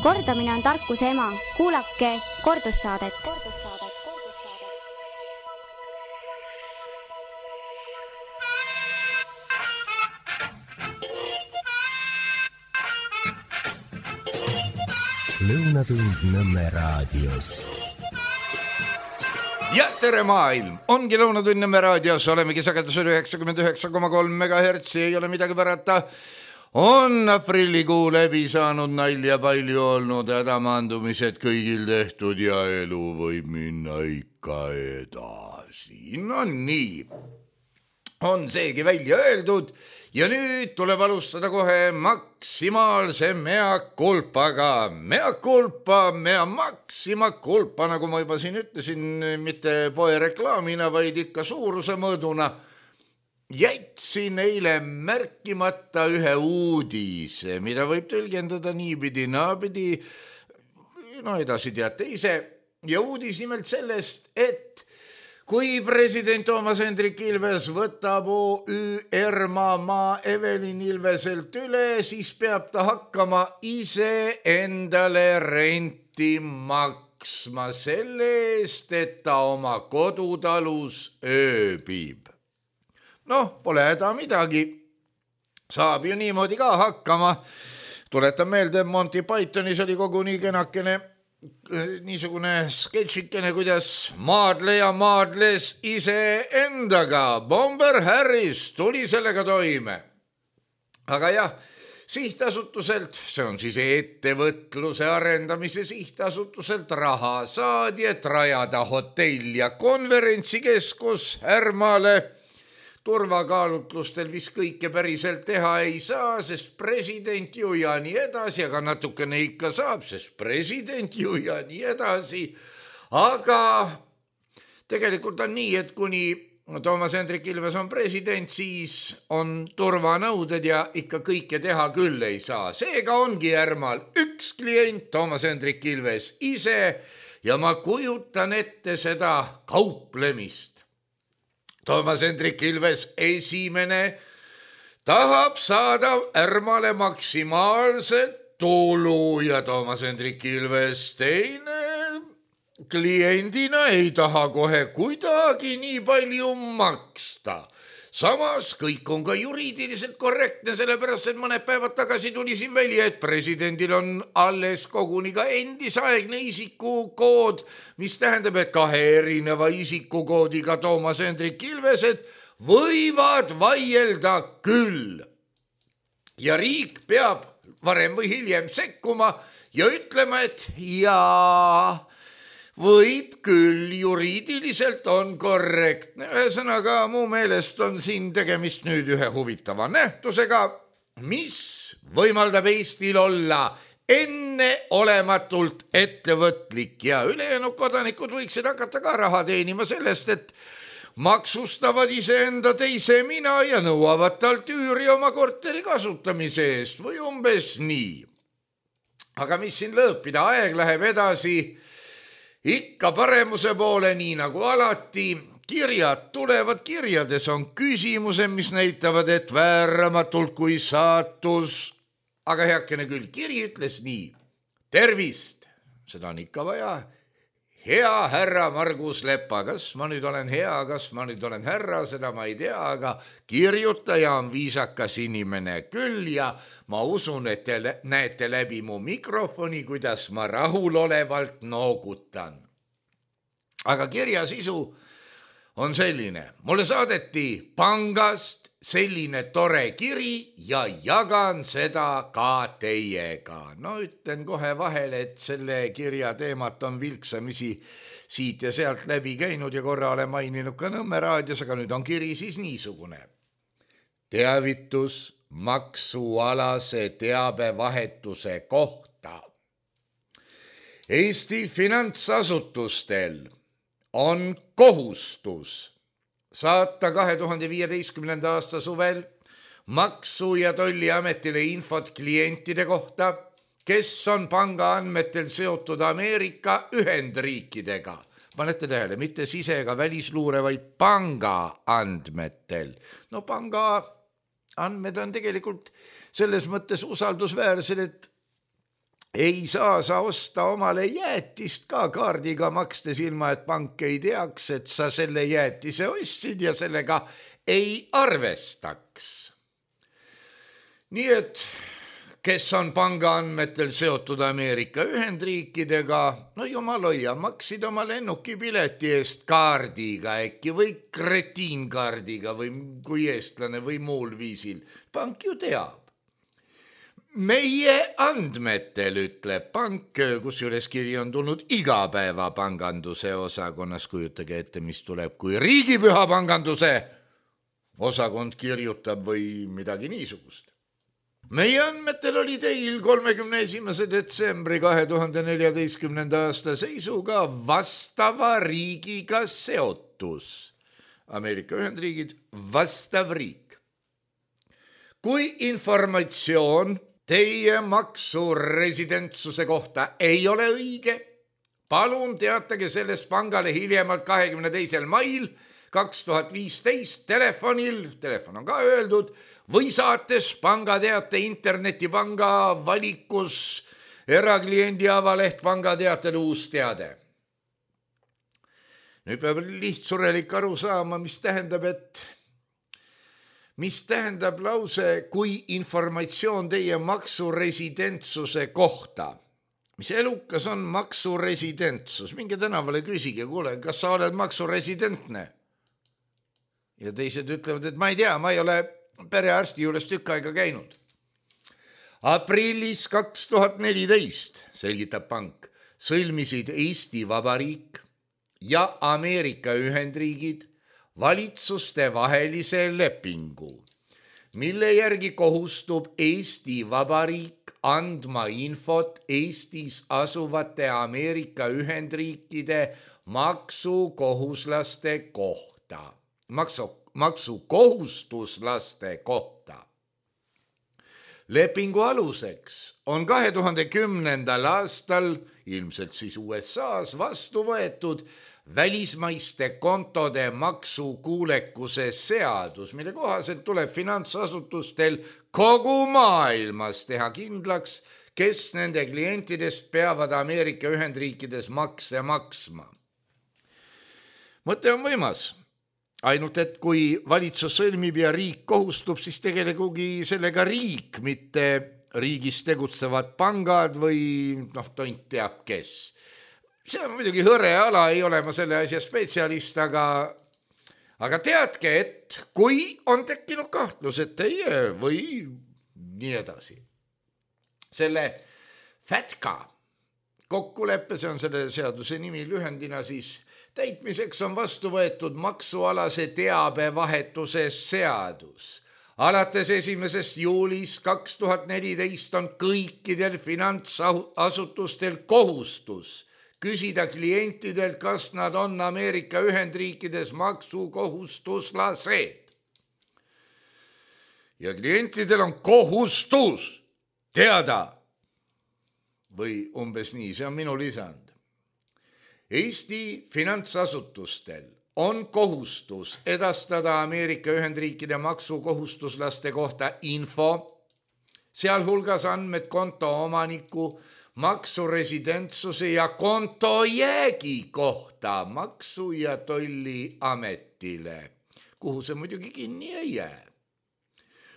Kordamine on tarkuse ema. Kuulake kordussaadet. Lõunatund Nõmme raadios. Ja tere maailm! Ongi Lõunatund Nõmme raadios, olemegi sagedusel 99,3 MHz, ei ole midagi pärata. On aprillikuu läbi saanud, nalja palju olnud, hädamandumised kõigil tehtud ja elu võib minna ikka edasi. No nii, on seegi välja öeldud. Ja nüüd tuleb alustada kohe maksimaalse mea culpaga. Mea culpa, mea maxima culpa, nagu ma juba siin ütlesin, mitte poe reklaamina, vaid ikka suuruse mõõduna. Jätsin eile märkimata ühe uudise, mida võib tõlgendada niipidi, naapidi, no edasi teate ise. Ja uudis nimelt sellest, et kui president Toomas Hendrik Ilves võtab OÜ Maa Evelin Ilveselt üle, siis peab ta hakkama ise endale renti maksma selle eest, et ta oma kodutalus ööbib. Noh, pole häda midagi. Saab ju niimoodi ka hakkama. Tuletan meelde, Monty Pythonis oli koguni kenakene niisugune sketšikene, kuidas maadleja maadles ise endaga. Bomber Harris tuli sellega toime. Aga jah, sihtasutuselt, see on siis ettevõtluse arendamise sihtasutuselt raha saadi, et rajada hotell ja konverentsikeskus Härmale. Turvakaalutlustel vist kõike päriselt teha ei saa, sest president ju ja nii edasi, aga natukene ikka saab, sest president ju ja nii edasi. Aga tegelikult on nii, et kuni Toomas Hendrik Ilves on president, siis on turvanõuded ja ikka kõike teha küll ei saa. Seega ongi Härmal üks klient, Toomas Hendrik Ilves ise, ja ma kujutan ette seda kauplemist. Toomas Hendrik Ilves esimene tahab saada Härmale maksimaalselt tulu ja Toomas Hendrik Ilves teine kliendina ei taha kohe kuidagi nii palju maksta. Samas kõik on ka juriidiliselt korrektne, sellepärast, et mõned päevad tagasi tuli siin välja, et presidendil on alles koguni ka endisaegne isikukood, mis tähendab, et kahe erineva isikukoodiga Toomas Hendrik Ilvesed võivad vaielda küll. Ja riik peab varem või hiljem sekkuma ja ütlema, et jaa, võib küll, juriidiliselt on korrektne. Ühesõnaga, mu meelest on siin tegemist nüüd ühe huvitava nähtusega, mis võimaldab Eestil olla enneolematult ettevõtlik ja ülejäänud kodanikud võiksid hakata ka raha teenima sellest, et maksustavad iseenda teise mina ja nõuavad talt üüri oma korteri kasutamise eest või umbes nii. Aga mis siin lõõpida, aeg läheb edasi ikka paremuse poole, nii nagu alati. Kirjad tulevad, kirjades on küsimused, mis näitavad, et vääramatult kui saatus. Aga heakene küll, kiri ütles nii. Tervist, seda on ikka vaja. Hea härra Margus Lepa, kas ma nüüd olen hea, kas ma nüüd olen härra, seda ma ei tea, aga kirjutaja on viisakas inimene küll ja ma usun, et te näete läbi mu mikrofoni, kuidas ma rahulolevalt noogutan. Aga kirja sisu on selline. Mulle saadeti pangast selline tore kiri ja jagan seda ka teiega. No ütlen kohe vahele, et selle kirja teemat on vilksamisi siit ja sealt läbi käinud ja korra olen maininud ka Nõmme raadios, aga nüüd on kiri siis niisugune. Teavitus maksualase teabevahetuse kohta. Eesti finantsasutustel on kohustus saata 2015. aasta suvel Maksu- ja Tolliametile infot klientide kohta, kes on panga andmetel seotud Ameerika Ühendriikidega. Panete tähele, mitte sise- ega välisluure, vaid panga andmetel. No panga andmed on tegelikult selles mõttes usaldusväärsed, et ei saa sa osta omale jäätist ka kaardiga makstes ilma, et pank ei teaks, et sa selle jäätise ostsid ja sellega ei arvestaks. Nii et kes on panga andmetel seotud Ameerika Ühendriikidega, no jumal hoia, maksid oma lennukipileti eest kaardiga äkki või kretiinkaardiga või kui eestlane või muul viisil. Pank ju teab. Meie andmetel, ütleb pank, kusjuures kiri on tulnud igapäeva panganduse osakonnas, kujutage ette, mis tuleb, kui riigipüha panganduse osakond kirjutab või midagi niisugust. Meie andmetel oli teil 31. detsembri 2014. aasta seisuga vastava riigiga seotus. Ameerika Ühendriigid, vastav riik. Kui informatsioon teie maksuresidentsuse kohta ei ole õige, palun teatage sellest pangale hiljemalt 22. mail 2015 telefon on ka öeldud, või saates pangateate internetipanga valikus erakliendi avaleht pangateatel uus teade. Nüüd peab lihtsurelik aru saama, mis tähendab lause, kui informatsioon teie maksuresidentsuse kohta. Mis elukas on maksuresidentsus? Minge tänavale küsige, kuule, kas sa oled maksuresidentne? Ja teised ütlevad, et ma ei tea, ma ei ole perearsti juures tükk aega käinud. Aprillis 2014, selgitab pank, sõlmisid Eesti Vabariik ja Ameerika Ühendriigid valitsuste vahelise lepingu, mille järgi kohustub Eesti Vabariik andma infot Eestis asuvate Ameerika Ühendriikide maksukohuslaste kohta. Maksukohustuslaste kohta. Lepingu aluseks on 2010. aastal, ilmselt siis USAs, vastu võetud välismaiste kontode maksukuulekuse seadus, mille kohaselt tuleb finantsasutustel kogu maailmas teha kindlaks, kes nende klientidest peavad Ameerika Ühendriikides makse maksma. Mõte on võimas. Ainult, et kui valitsus sõlmib ja riik kohustub, siis tegelekugi sellega riik, mitte riigis tegutsevad pangad või tont teab kes. See on muidugi hõre ala, ei ole ma selle asja spetsialist, aga teadke, et kui on tekkinud kahtlus, et teie või nii edasi. Selle FATCA kokkuleppe, see on selle seaduse nimi lühendina siis, täitmiseks on vastu võetud maksualase teabevahetuse seadus. Alates 1. juulist 2014 on kõikidel finantsasutustel kohustus küsida klientidelt, kas nad on Ameerika Ühendriikides maksukohustuslased. Ja klientidel on kohustus teada, või umbes nii, see on minu lisand. Eesti finantsasutustel on kohustus edastada Ameerika Ühendriikide maksukohustuslaste kohta info, sealhulgas andmed konto omaniku, maksuresidentsuse ja kontojäägi kohta Maksu- ja Tolliametile, kuhu see muidugi kinni ei jää.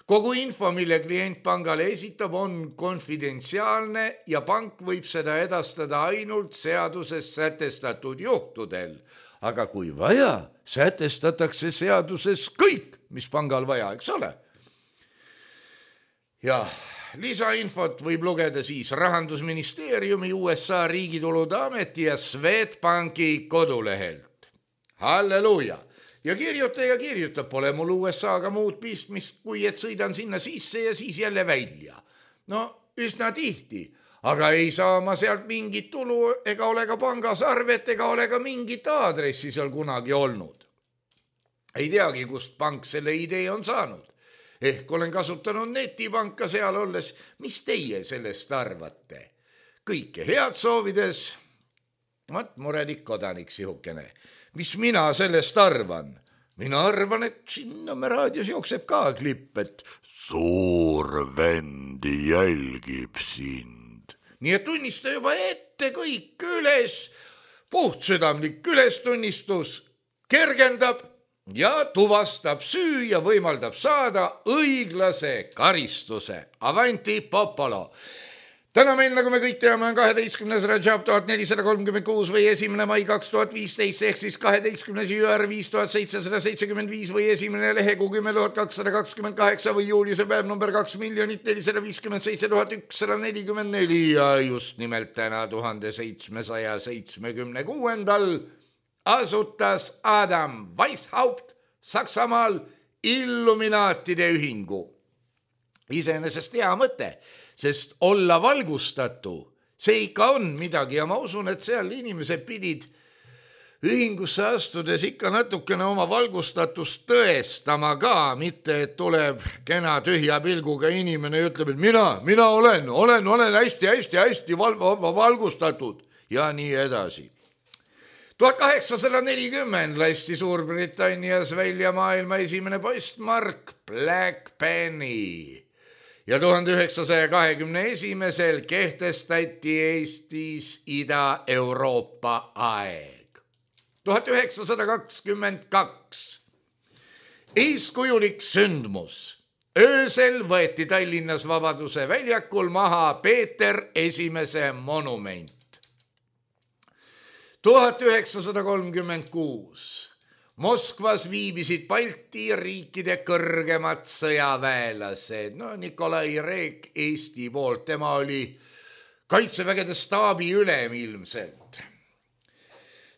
Kogu info, mille klient pangale esitab, on konfidentsiaalne ja pank võib seda edastada ainult seaduses sätestatud juhtudel. Aga kui vaja, sätestatakse seaduses kõik, mis pangal vaja, eks ole? Ja lisainfot võib lugeda siis Rahandusministeeriumi, USA Riigitulude Ameti ja Swedbanki kodulehelt. Halleluuja! Ja kirjutab, pole mul USA-ga muud pistmist, kui et sõidan sinna sisse ja siis jälle välja. No, üsna tihti, aga ei saa ma sealt mingit tulu ega ole ka pangas arvet ega ole ka mingit aadressi seal kunagi olnud. Ei teagi, kust pank selle idee on saanud. Ehk olen kasutanud netipanka seal olles. Mis teie sellest arvate? Kõike head soovides. Murelik kodanik sihukene. Mis mina sellest arvan? Mina arvan, et siin Nõmme raadios jookseb ka klipp, et suur vend jälgib sind. nii et tunnista juba ette kõik üles, puhtsüdamlik ülestunnistus kergendab ja tuvastab süü ja võimaldab saada õiglase karistuse. Avanti popolo! Täna meil, nagu me kõik teame, on 12. Rajab 1436 või 1. mai 2015 ehk siis 12. jüär 5775 või 1. lehekuu 10228 või juuliuse päev number 2 457 144 ja just nimelt täna 1776. asutas Adam Weishaupt Saksamaal Illuminaatide ühingu. Iseenesest hea mõte, sest olla valgustatu, see ikka on midagi ja ma usun, et seal inimesed pidid ühingusse astudes ikka natukene oma valgustatust tõestama ka, mitte et tuleb kena tühja pilguga inimene ja ütleb, et mina olen hästi valgustatud ja nii edasi. 1840 lasti Suurbritannias välja maailma esimene postmark Black Penny ja 1921 kehtestati Eestis Ida-Euroopa aeg. 1922 eeskujulik sündmus. Öösel võeti Tallinnas Vabaduse väljakul maha Peeter Esimese monument. 1936 Moskvas viibisid Balti riikide kõrgemad sõjaväelased. Nikolai Reek Eesti poolt, tema oli kaitsevägede staabi ülem ilmselt.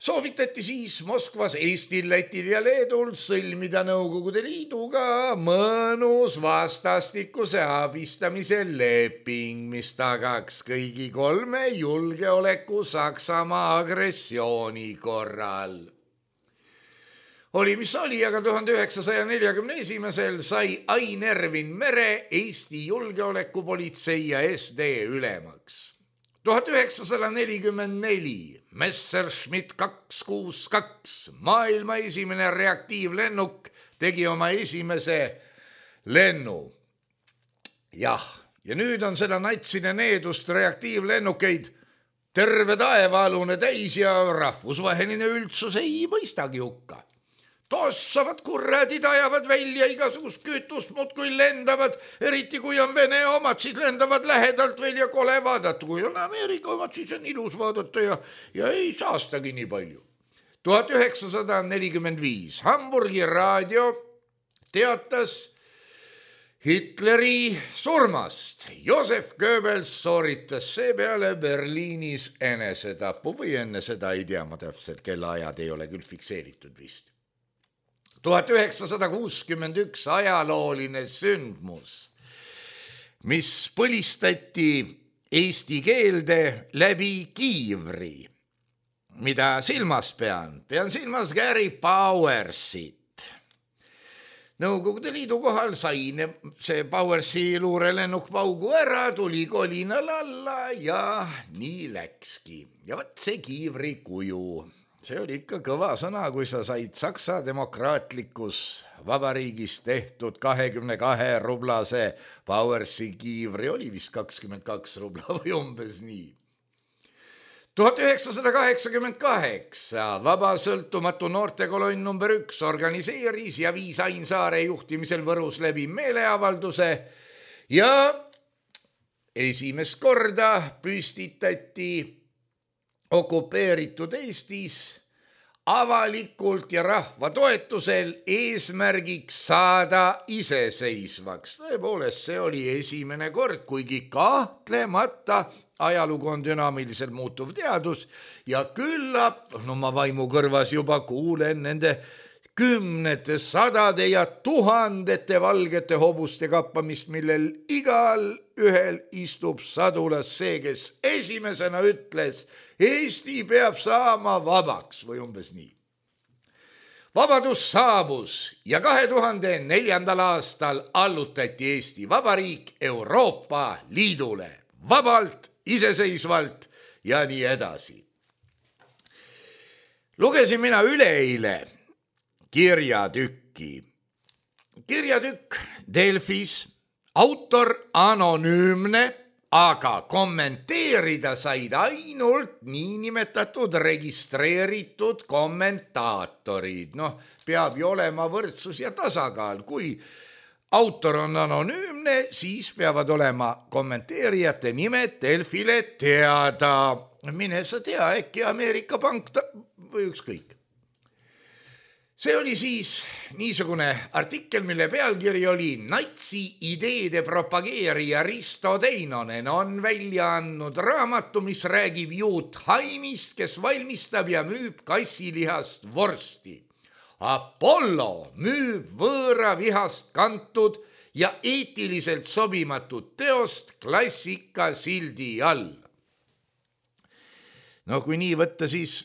Soovitati siis Moskvas Eestil, Lätil ja Leedul sõlmida Nõukogude Liiduga mõnus vastastikuse abistamise leping, mis tagaks kõigi kolme julgeoleku Saksamaa agressiooni korral. Oli mis oli, aga 1941 sai Ain Ervin Mere Eesti julgeolekupolitsei ja SD ülemaks. 1944 Messerschmitt 262, maailma esimene reaktiivlennuk, tegi oma esimese lennu. Jah, ja nüüd on seda natside needust reaktiivlennukeid terve taevaalune täis ja rahvusvaheline üldsus ei mõistagi hukka. Tossavad kurradid, ajavad välja igasugust kütust, muudkui lendavad, eriti kui on Vene omad, siis lendavad lähedalt veel ja kole vaadata. Kui on Ameerika omad, siis on ilus vaadata ja ei saastagi nii palju. 1945 Hamburgi raadio teatas Hitleri surmast. Josef Goebbels sooritas seepeale Berliinis enesetapu või enne seda ei tea ma täpselt, kella ajad ei ole küll fikseeritud vist. 1961 ajalooline sündmus, mis põlistati eesti keelde läbi kiivri. Mida silmas pean? Pean silmas Gary Powersit. Nõukogude Liidu kohal sai see Powersi luurelennuk paugu ära, tuli kolinal alla ja nii läkski. Ja võt see kiivri kuju. See oli ikka kõva sõna, kui sa said Saksa demokraatlikus vabariigis tehtud 22 rublase Powersi kiivri, oli vist 22 rubla või umbes nii. 1988 Vaba sõltumatu noortekolonn number 1 organiseeris ja viis Ain Saare juhtimisel Võrus läbi meeleavalduse ja esimest korda püstitati okupeeritud Eestis avalikult ja rahva toetusel eesmärgiks saada iseseisvaks. Tõepoolest, see oli esimene kord, kuigi kahtlemata ajalugu on dünaamiliselt muutuv teadus ja küllap, ma vaimu kõrvas juba kuulen nende kümnete, sadade ja tuhandete valgete hobuste kappamist, millel igal ühel istub sadulas see, kes esimesena ütles, Eesti peab saama vabaks või umbes nii. Vabadus saabus ja 2004. aastal allutati Eesti Vabariik Euroopa Liidule vabalt, iseseisvalt ja nii edasi. Lugesin mina üleeile kirjatükki. Kirjatükk Delfis, autor anonüümne, aga kommenteerida said ainult niinimetatud registreeritud kommentaatorid. Noh, peab ju olema võrdsus ja tasakaal. Kui autor on anonüümne, siis peavad olema kommenteerijate nimed Delfile teada. Mine sa tea, äkki Ameerika pank või ükskõik. See oli siis niisugune artikkel, mille pealkiri oli Natsi ideede propageerija Risto Teinonen on välja andnud raamatu, mis räägib juut Haimist, kes valmistab ja müüb kassilihast vorsti. Apollo müüb võõra vihast kantud ja eetiliselt sobimatut teost klassika sildi all. No kui nii võtta, siis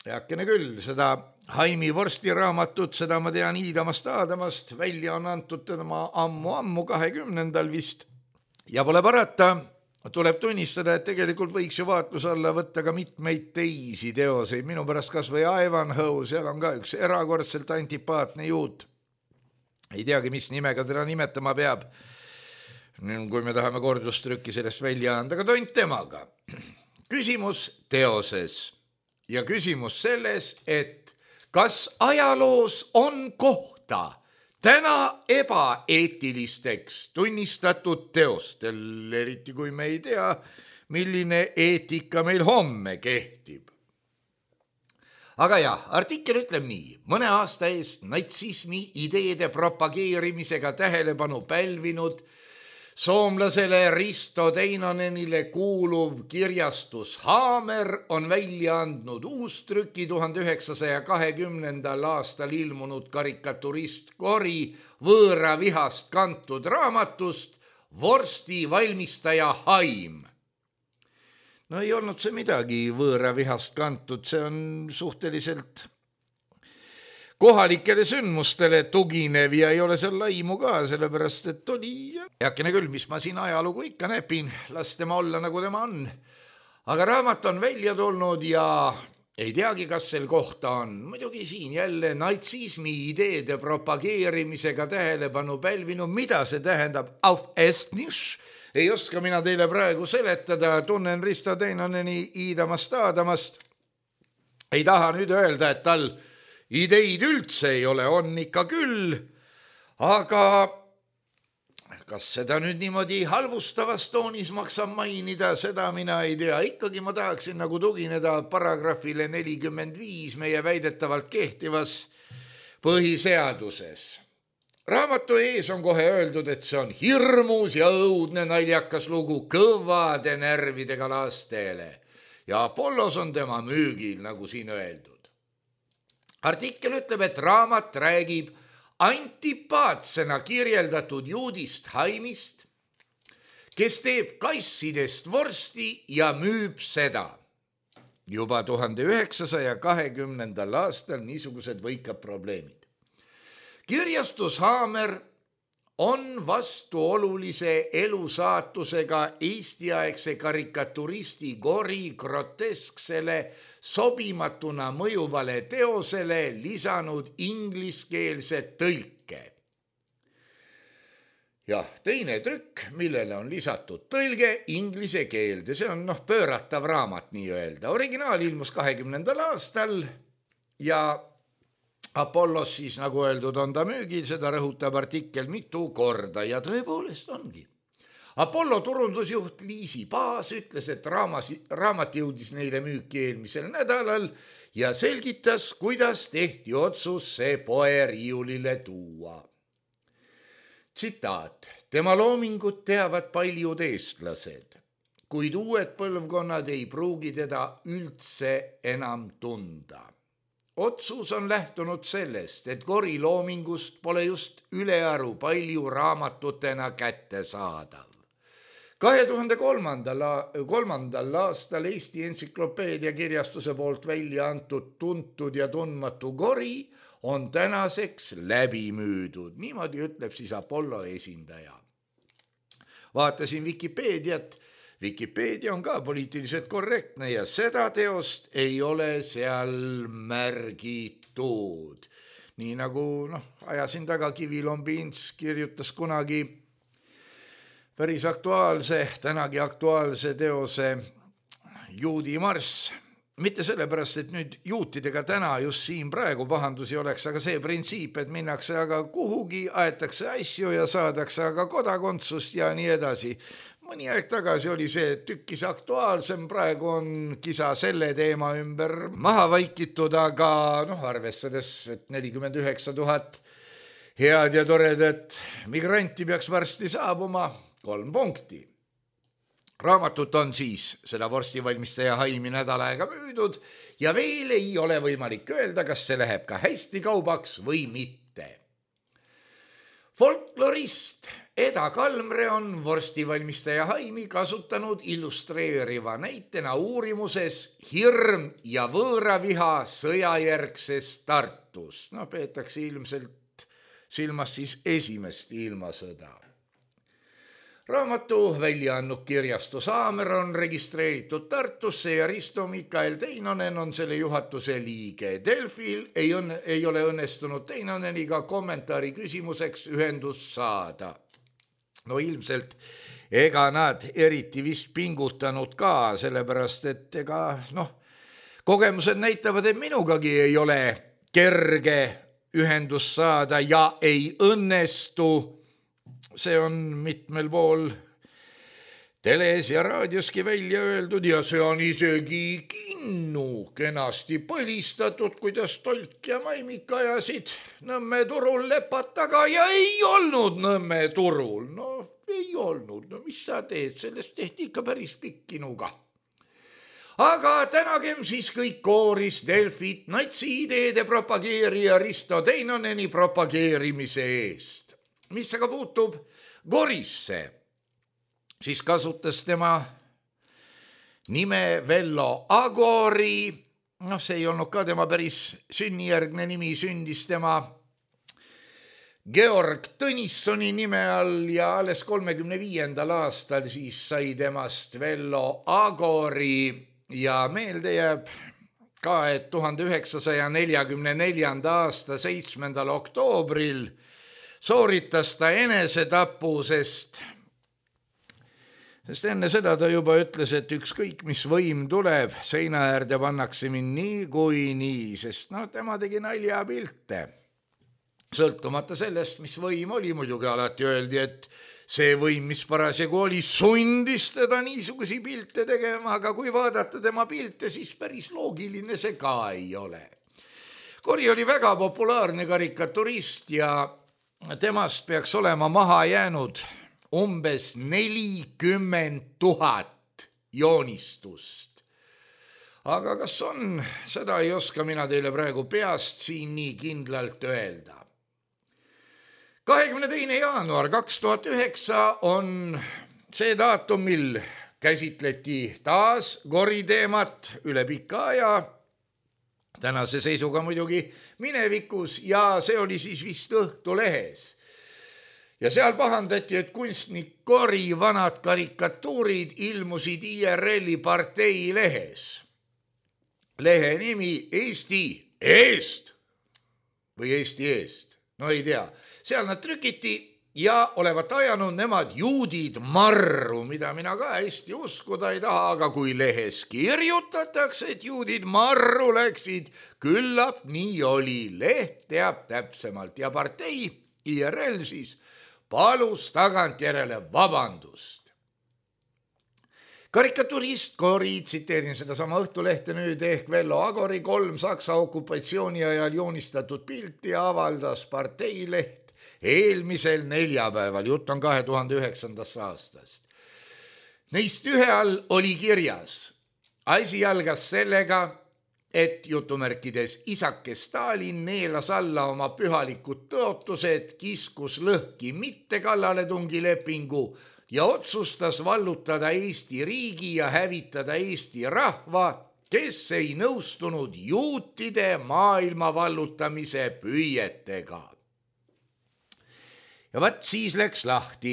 heakene küll, seda Haimi vorstiraamatut, seda ma tean Iidamast Aadamast, välja on antud tema ammu 20. vist. Ja pole parata, tuleb tunnistada, et tegelikult võiks ju vaatluse alla võtta ka mitmeid teisi teoseid. Minu pärast kas või Ivanhoe, seal on ka üks erakordselt antipaatne juut. Ei teagi, mis nimega teda nimetama peab, kui me tahame kordustrükki sellest välja anda, aga tont temaga. Küsimus teoses ja küsimus selles, et kas ajaloos on kohta täna ebaeetilisteks tunnistatud teostel, eriti kui me ei tea, milline eetika meil homme kehtib. Aga jah, artikkel ütleb nii, mõne aasta eest natsismi ideede propageerimisega tähelepanu pälvinud soomlasele Risto Teinonenile kuuluv kirjastus Haamer on välja andnud uustrüki 1920. aastal ilmunud karikaturist Gori võõra vihast kantud raamatust Vorsti valmistaja Haim. No ei olnud see midagi võõra vihast kantud, see on suhteliselt kohalikele sündmustele tuginev ja ei ole seal laimu ka, sellepärast et oli heakene küll, mis ma siin ajalugu ikka näpin, las tema olla nagu tema on. Aga raamat on välja tulnud ja ei teagi, kas sel kohta on. Muidugi siin jälle natsismi ideede propageerimisega tähelepanu pälvinud, mida see tähendab? Auf Estnisch? Ei oska mina teile praegu seletada, tunnen Risto Teinoneni Iidamast Aadamast. Ei taha nüüd öelda, et tal ideid üldse ei ole, on ikka küll, aga kas seda nüüd niimoodi halvustavas toonis maksab mainida, seda mina ei tea. Ikkagi ma tahaksin nagu tugineda paragrahvile 45 meie väidetavalt kehtivas põhiseaduses. Raamatu ees on kohe öeldud, et see on hirmus ja õudne naljakas lugu kõvade närvidega lastele ja Apollos on tema müügil, nagu siin öeldud. Artikkel ütleb, et raamat räägib antipaatsena kirjeldatud juudist Haimist, kes teeb kassidest vorsti ja müüb seda. Juba 1920. aastal niisugused võikad probleemid. Kirjastus Haamer on vastuolulise elusaatusega eestiaegse karikaturisti Gori grotesksele sobimatuna mõjuvale teosele lisanud ingliskeelse tõlke. Jah, teine trükk, millele on lisatud tõlge inglise keelde, see on pööratav raamat nii öelda. Originaal ilmus 20. aastal ja Apollos siis, nagu öeldud, on ta müügil, seda rõhutab artikkel mitu korda ja tõepoolest ongi. Apollo turundusjuht Liisi Paas ütles, et raamat jõudis neile müüki eelmisel nädalal ja selgitas, kuidas tehti otsus see poeriiulile tuua. Tsitaat, tema loomingut teavad paljud eestlased, kuid uued põlvkonnad ei pruugi teda üldse enam tunda. Otsus on lähtunud sellest, et Gori loomingust pole just ülearu palju raamatutena kätte saadav. 2003. aastal Eesti entsüklopeedia kirjastuse poolt välja antud tuntud ja tundmatu Gori on tänaseks läbi müüdud. Niimoodi ütleb siis Apollo esindaja. Vaatasin Wikipeediat. Wikipeedia on ka poliitiliselt korrektne ja seda teost ei ole seal märgitud. Nii nagu ajasin taga Kivilombins kirjutas kunagi päris aktuaalse, tänagi aktuaalse teose Juudi marss. Mitte sellepärast, et nüüd juutidega täna just siin praegu pahandusi oleks, aga see printsiip, et minnakse aga kuhugi, aetakse asju ja saadakse aga kodakondsust ja nii edasi. Mõni aeg tagasi oli see tükkis aktuaalsem, praegu on kisa selle teema ümber maha vaikitud, aga arvestades, et 49 000 head ja toredat migranti peaks varsti saabuma, 3 punkti. Raamatut on siis seda vorstivalmistaja Haimi nädal aega müüdud ja veel ei ole võimalik öelda, kas see läheb ka hästi kaubaks või mitte. Folklorist Eda Kalmre on vorstivalmistaja Haimi kasutanud illustreeriva näitena uurimuses hirm ja võõraviha sõjajärgses Tartus. Peetakse ilmselt silmas siis esimest ilmasõda. Raamatu välja andnud kirjastu Saamer on registreeritud Tartusse ja Risto Mikael Teinonen on selle juhatuse liige. Delfil ei ole õnnestunud Teinoneniga kommentaari küsimuseks ühendust saada. Ilmselt ega nad eriti vist pingutanud ka, sellepärast et kogemused näitavad, et minugagi ei ole kerge ühendust saada ja ei õnnestu. See on mitmel pool teles ja raadioski välja öeldud ja see on isegi kinnu kenasti põlistatud, kuidas Tolk ja Maimik ajasid Nõmme turul lepad taga ja ei olnud Nõmme turul. Ei olnud. Mis sa teed? Sellest tehti ikka päris pikk kinuga. Aga tänagem siis kõik kooris Delfit natsi-ideede propageerija Risto Teinoneni propageerimise eest. Mis aga puutub Gorisse, siis kasutas tema nime Vello Agori. See ei olnud ka tema päris sünnijärgne nimi, sündis tema Georg Tõnissoni nime all ja alles 35. aastal siis sai temast Vello Agori ja meelde jääb ka, et 1944. aasta 7. oktoobril sooritas ta enesetapu, sest enne seda ta juba ütles, et ükskõik mis võim tuleb, seina äärde pannakse mind nii, sest tema tegi naljapilte. Sõltumata sellest, mis võim oli, muidugi alati öeldi, et see võim, mis parasjagu oli, sundis teda niisugusi pilte tegema, aga kui vaadata tema pilte, siis päris loogiline see ka ei ole. Kori oli väga populaarne karikaturist ja temast peaks olema maha jäänud umbes 40 000 joonistust. Aga kas on, seda ei oska mina teile praegu peast siin nii kindlalt öelda. 22. jaanuar 2009 on see daatum, mil käsitleti taas Gori teemat üle pika aja, tänase seisuga muidugi minevikus ja see oli siis vist Õhtulehes. Ja seal pahandati, et kunstnik Gori vanad karikatuurid ilmusid IRL-i partei lehes. Lehe nimi Eesti eest või Eesti eest, ei tea. Seal nad trükiti ja olevat ajanud nemad juudid marru, mida mina ka hästi uskuda ei taha, aga kui lehes kirjutatakse, et juudid marru läksid, küllap nii oli. Leht teab täpsemalt ja partei IRL siis palus tagantjärele vabandust. Karikaturist Gori, tsiteerin sedasama Õhtulehte nüüd ehk Vello Agori 3 Saksa okupatsiooni ajal joonistatud pilti avaldas parteileht eelmisel neljapäeval, jutt on 2009. aastast. Neist ühe all oli kirjas. Asi algas sellega, et jutumärkides isake Stalin neelas alla oma pühalikud tõotused, kiskus lõhki mittekallaletungilepingu ja otsustas vallutada Eesti riigi ja hävitada Eesti rahva, kes ei nõustunud juutide maailma vallutamise püüetega. Ja vaat siis läks lahti,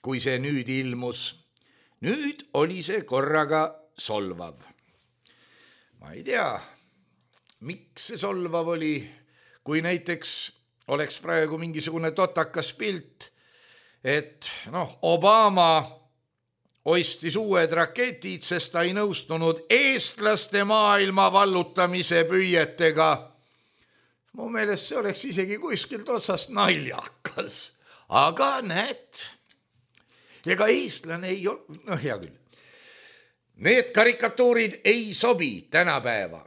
kui see nüüd ilmus. Nüüd oli see korraga solvav. Ma ei tea, miks see solvav oli, kui näiteks oleks praegu mingisugune totakas pilt, et Obama ostis uued raketid, sest ta ei nõustunud eestlaste maailma vallutamise püüetega. Mu meelest see oleks isegi kuskilt otsast naljakas, aga näed, ega eestlane ei ole, hea küll. Need karikatuurid ei sobi tänapäeva.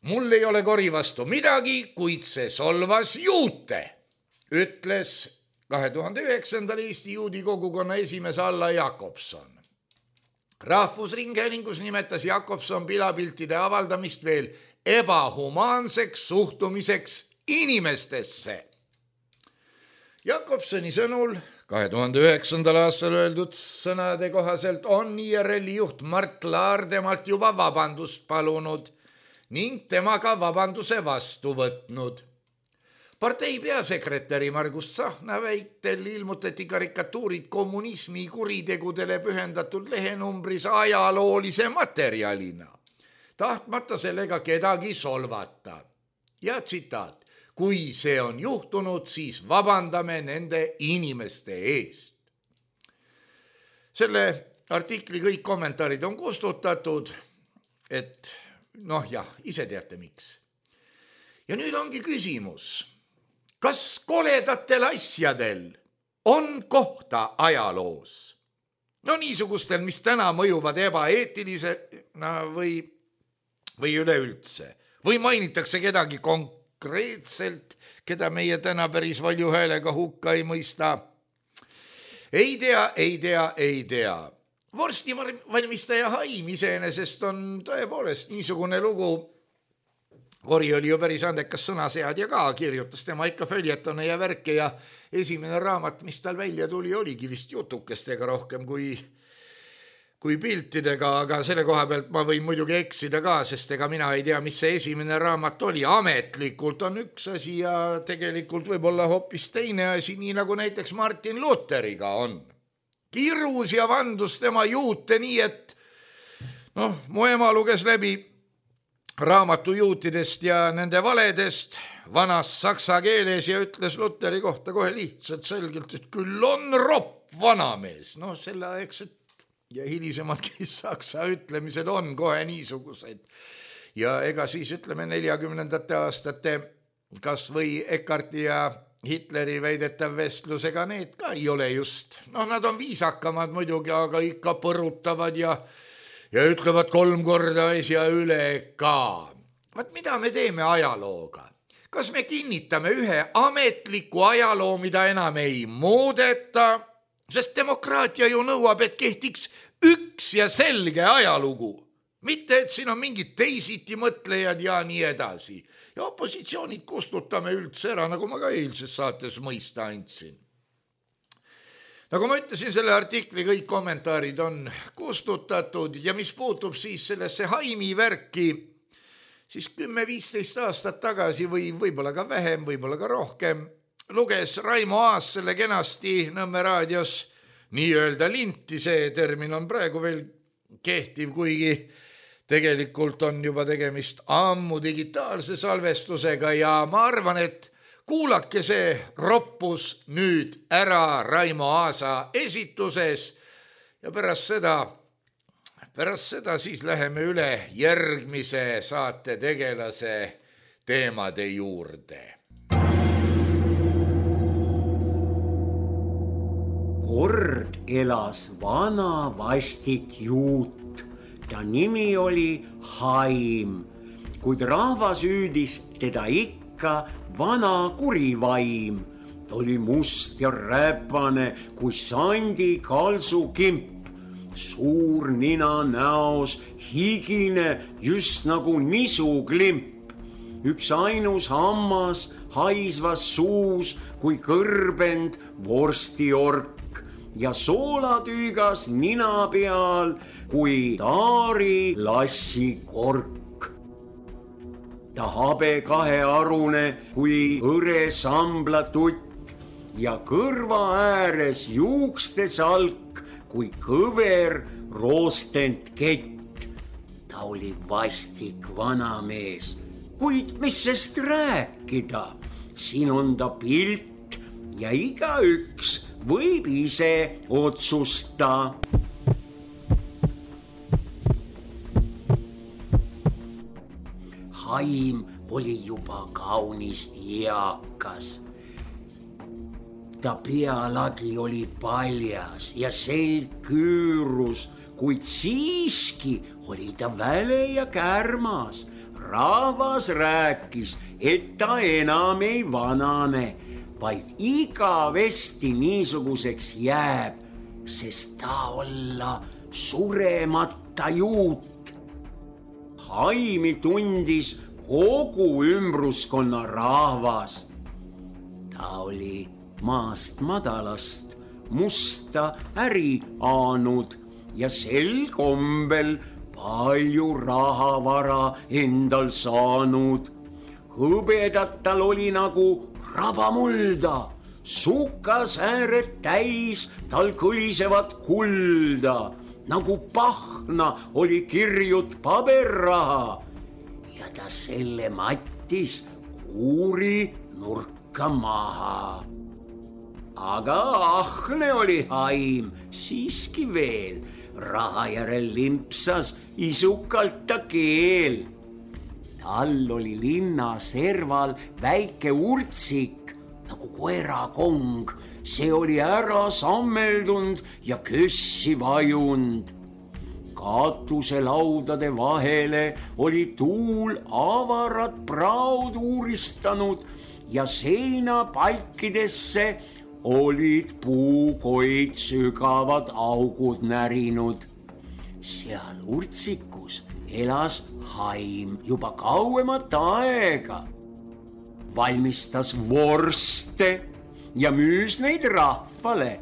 Mul ei ole kori vastu midagi, kuid see solvas juute, ütles 2009. Eesti juudi kogukonna esimees Alla Jakobson. Rahvusringhäälingus nimetas Jakobson pilapiltide avaldamist veel ebahumaanseks suhtumiseks inimestesse. Jakobsoni sõnul 2009. aastal öeldud sõnade kohaselt on IRL-i juht Mart Laar temalt juba vabandust palunud ning temaga vabanduse vastu võtnud. Partei peasekretäri Margus Tsahkna väitel ilmutati karikatuurid kommunismi kuritegudele pühendatud lehenumbris ajaloolise materjalina, tahtmata sellega kedagi solvata. Ja tsitaat, kui see on juhtunud, siis vabandame nende inimeste eest. Selle artikli kõik kommentaarid on kustutatud, et ise teate miks. Ja nüüd ongi küsimus, kas koledatel asjadel on kohta ajaloos? Niisugustel, mis täna mõjuvad ebaeetilisena või üleüldse. Või mainitakse kedagi konkreetselt, keda meie täna päris valju häälega hukka ei mõista. Ei tea. Vorstivalmistaja Haim iseenesest on tõepoolest niisugune lugu. Kori oli ju päris andekas sõnaseadja ka, kirjutas tema ikka följetone ja värke ja esimene raamat, mis tal välja tuli, oligi vist jutukestega rohkem kui piltidega, aga selle koha pealt ma võin muidugi eksida ka, sest ega mina ei tea, mis see esimene raamat oli. Ametlikult on üks asi ja tegelikult võib olla hoopis teine asi, nii nagu näiteks Martin Lutheriga on. Kirus ja vandus tema juute nii, et mu ema luges läbi raamatu juutidest ja nende valedest vanas saksa keeles ja ütles Lutheri kohta kohe lihtsalt selgelt, et küll on ropp vanamees. Selleaegsed ja hilisemadki saksa ütlemised on kohe niisugused. Ja ega siis ütleme 40. aastate kas või Eckarti ja Hitleri väidetav vestlusega need ka ei ole just. Nad on viisakamad muidugi, aga ikka põrutavad ja ütlevad 3 korda asja üle ka. Mida me teeme ajalooga? Kas me kinnitame ühe ametliku ajaloo, mida enam ei muudeta? Sest demokraatia ju nõuab, et kehtiks üks ja selge ajalugu. Mitte, et siin on mingid teisiti mõtlejad ja nii edasi. Ja opositsioonid kustutame üldse ära, nagu ma ka eilses saates mõista andsin. Nagu ma ütlesin, selle artikli kõik kommentaarid on kustutatud ja mis puutub siis sellesse Haimi värki, siis 10-15 aastat tagasi või võib-olla ka vähem, võib-olla ka rohkem, luges Raimo Aas selle kenasti Nõmme raadios nii-öelda linti, see termin on praegu veel kehtiv, kuigi tegelikult on juba tegemist ammu digitaalse salvestusega ja ma arvan, et kuulake see roppus nüüd ära Raimo Aasa esituses ja pärast seda siis läheme üle järgmise saate tegelase teemade juurde. Kord elas vana vastik juut. Ta nimi oli Haim, kuid rahvas hüüdis teda ikka vana kurivaim. Ta oli must ja räpane kui sandi kalsukimp, suur nina näos, higine just nagu nisuklimp. Üks ainus hammas haisvas suus kui kõrbend vorstiork ja soolatüügas nina peal kui taari lassi kork. Ta habe kahearune kui hõre samblatutt ja kõrva ääres juukste salk kui kõver roostent kett. Ta oli vastik vanamees, kuid mis sest rääkida, siin on ta pilt ja igaüks võib ise otsusta. Haim oli juba kaunis eakas. Ta pealagi oli paljas ja selg küürus, kuid siiski oli ta väle ja kärmas. Rahvas rääkis, et ta enam ei vanane, vaid igavesti niisuguseks jääb, sest ta olla suremata juut. Haimi tundis kogu ümbruskonna rahvas. Ta oli maast madalast musta äri aanud ja sel kombel palju rahavara endal saanud. Hõbedat tal oli nagu rabamulda, sukasääred täis tal kõlisevat kulda, nagu pahna oli kirjut paberraha ja ta selle mattis kuuri nurka maha. Aga ahne oli Haim siiski veel, raha järel limpsas isukalt ta keel. Tal oli linna serval väike urtsik nagu koerakong, see oli ära sammeldund ja kössi vajund. Katuselaudade vahele oli tuul avarat praud uuristanud ja seinapalkidesse olid puukoid sügavad augud närinud. Seal urtsikus elas Haim juba kauemat aega. Valmistas vorste ja müüs neid rahvale.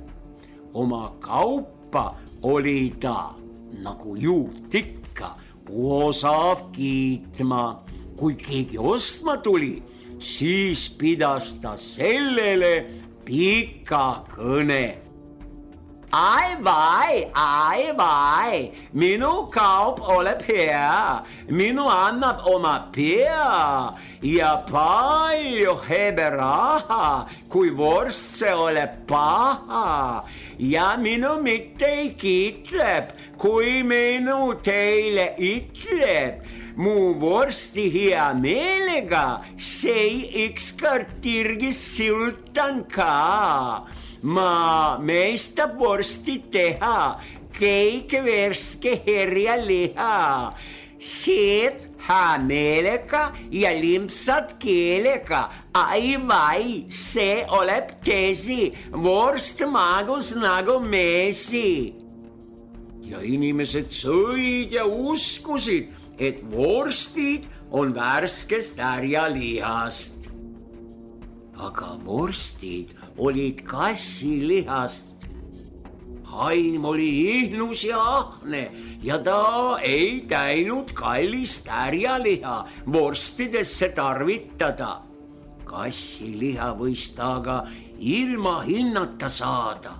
Oma kaupa oli ta, nagu juut ikka, osav kiitma. Kui keegi ostma tuli, siis pidas ta sellele pika kõne. Ai vai, minu kaup oleb hea, minu annab oma pea ja palju hebe raha, kui vorst see oleb paha. Ja minu mitte ei kiitleb, kui minu teile itleb. Mu vorsti hea meelega, see ükskord tirgis sultan ka. Ma meistab vorsti teha, keik verske herja liha. Seed hea meelega ja limpsad keelega. Ai vai, see oleb tesi, vorst magus nagu meesi. Ja inimesed sõid ja uskusid, et vorstid on värskest härjalihast. Aga vorstid olid kassilihast. Haim oli ihnus ja ahne ja ta ei täinud kallist härjaliha vorstidesse tarvitada. Kassiliha võis ta aga ilma hinnata saada.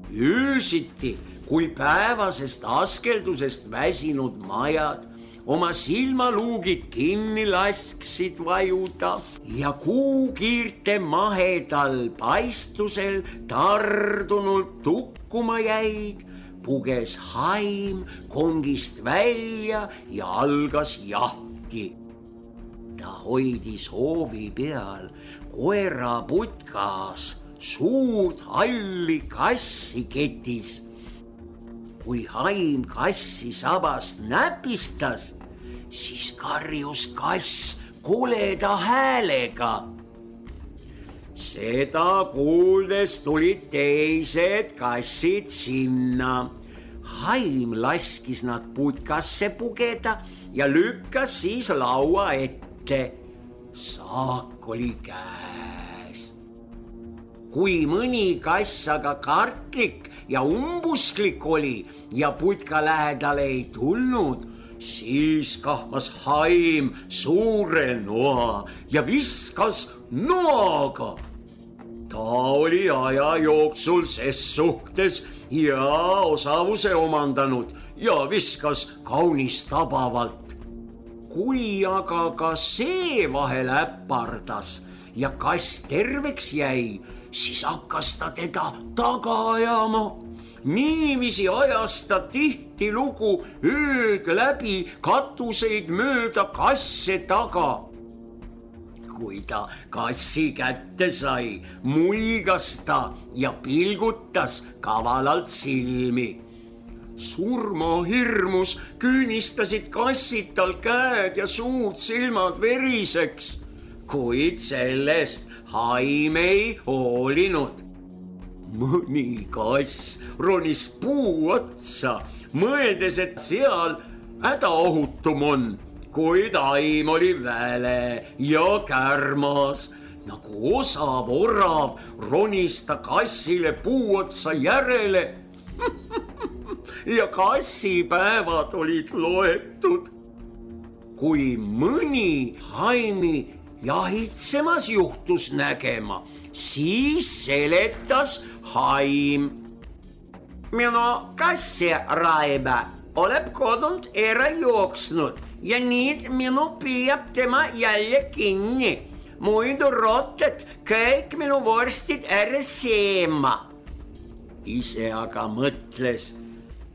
Öösiti, kui päevasest askeldusest väsinud majad oma silmaluugid kinni lasksid vajuda ja kuukiirte mahedal paistusel tardunult tukkuma jäid, puges Haim kongist välja ja algas jahti. Ta hoidis hoovi peal koera putkas suurt halli kassi ketis. Kui Haim kassi sabast näpistas, siis karjus kass koleda häälega. Seda kuuldes tulid teised kassid sinna. Haim laskis nad putkasse pugeda ja lükkas siis laua ette. Saak oli käes. Kui mõni kass aga kartlik ja umbusklik oli ja putka lähedale ei tulnud, siis kahmas Haim suure noa ja viskas noaga. Ta oli aja jooksul ses suhtes ja osavuse omandanud ja viskas kaunis tabavalt. Kui aga ka see vahel äpardas ja kass terveks jäi, siis hakkas ta teda taga ajama. Niiviisi ajas ta tihtilugu ööd läbi katuseid mööda kasse taga. Kui ta kassi kätte sai, muigas ta ja pilgutas kavalalt silmi. Surmahirmus küünistasid kassid tal käed ja suud silmad veriseks, kuid sellest Haim ei hoolinud. Mõni kass ronis puu otsa, mõeldes, et seal hädaohutum on, kuid Haim oli väle ja kärmas. Nagu osav orav ronis ta kassile puu otsa järele ja kassipäevad olid loetud. Kui mõni Haimi jahitsemas juhtus nägema, siis seletas Haim. Minu kassi Raiba oleb kodunt ära jooksnud ja nüüd minu püüab tema jälle kinni. Muidu rotted kõik minu vorstid ära seema. Ise aga mõtles,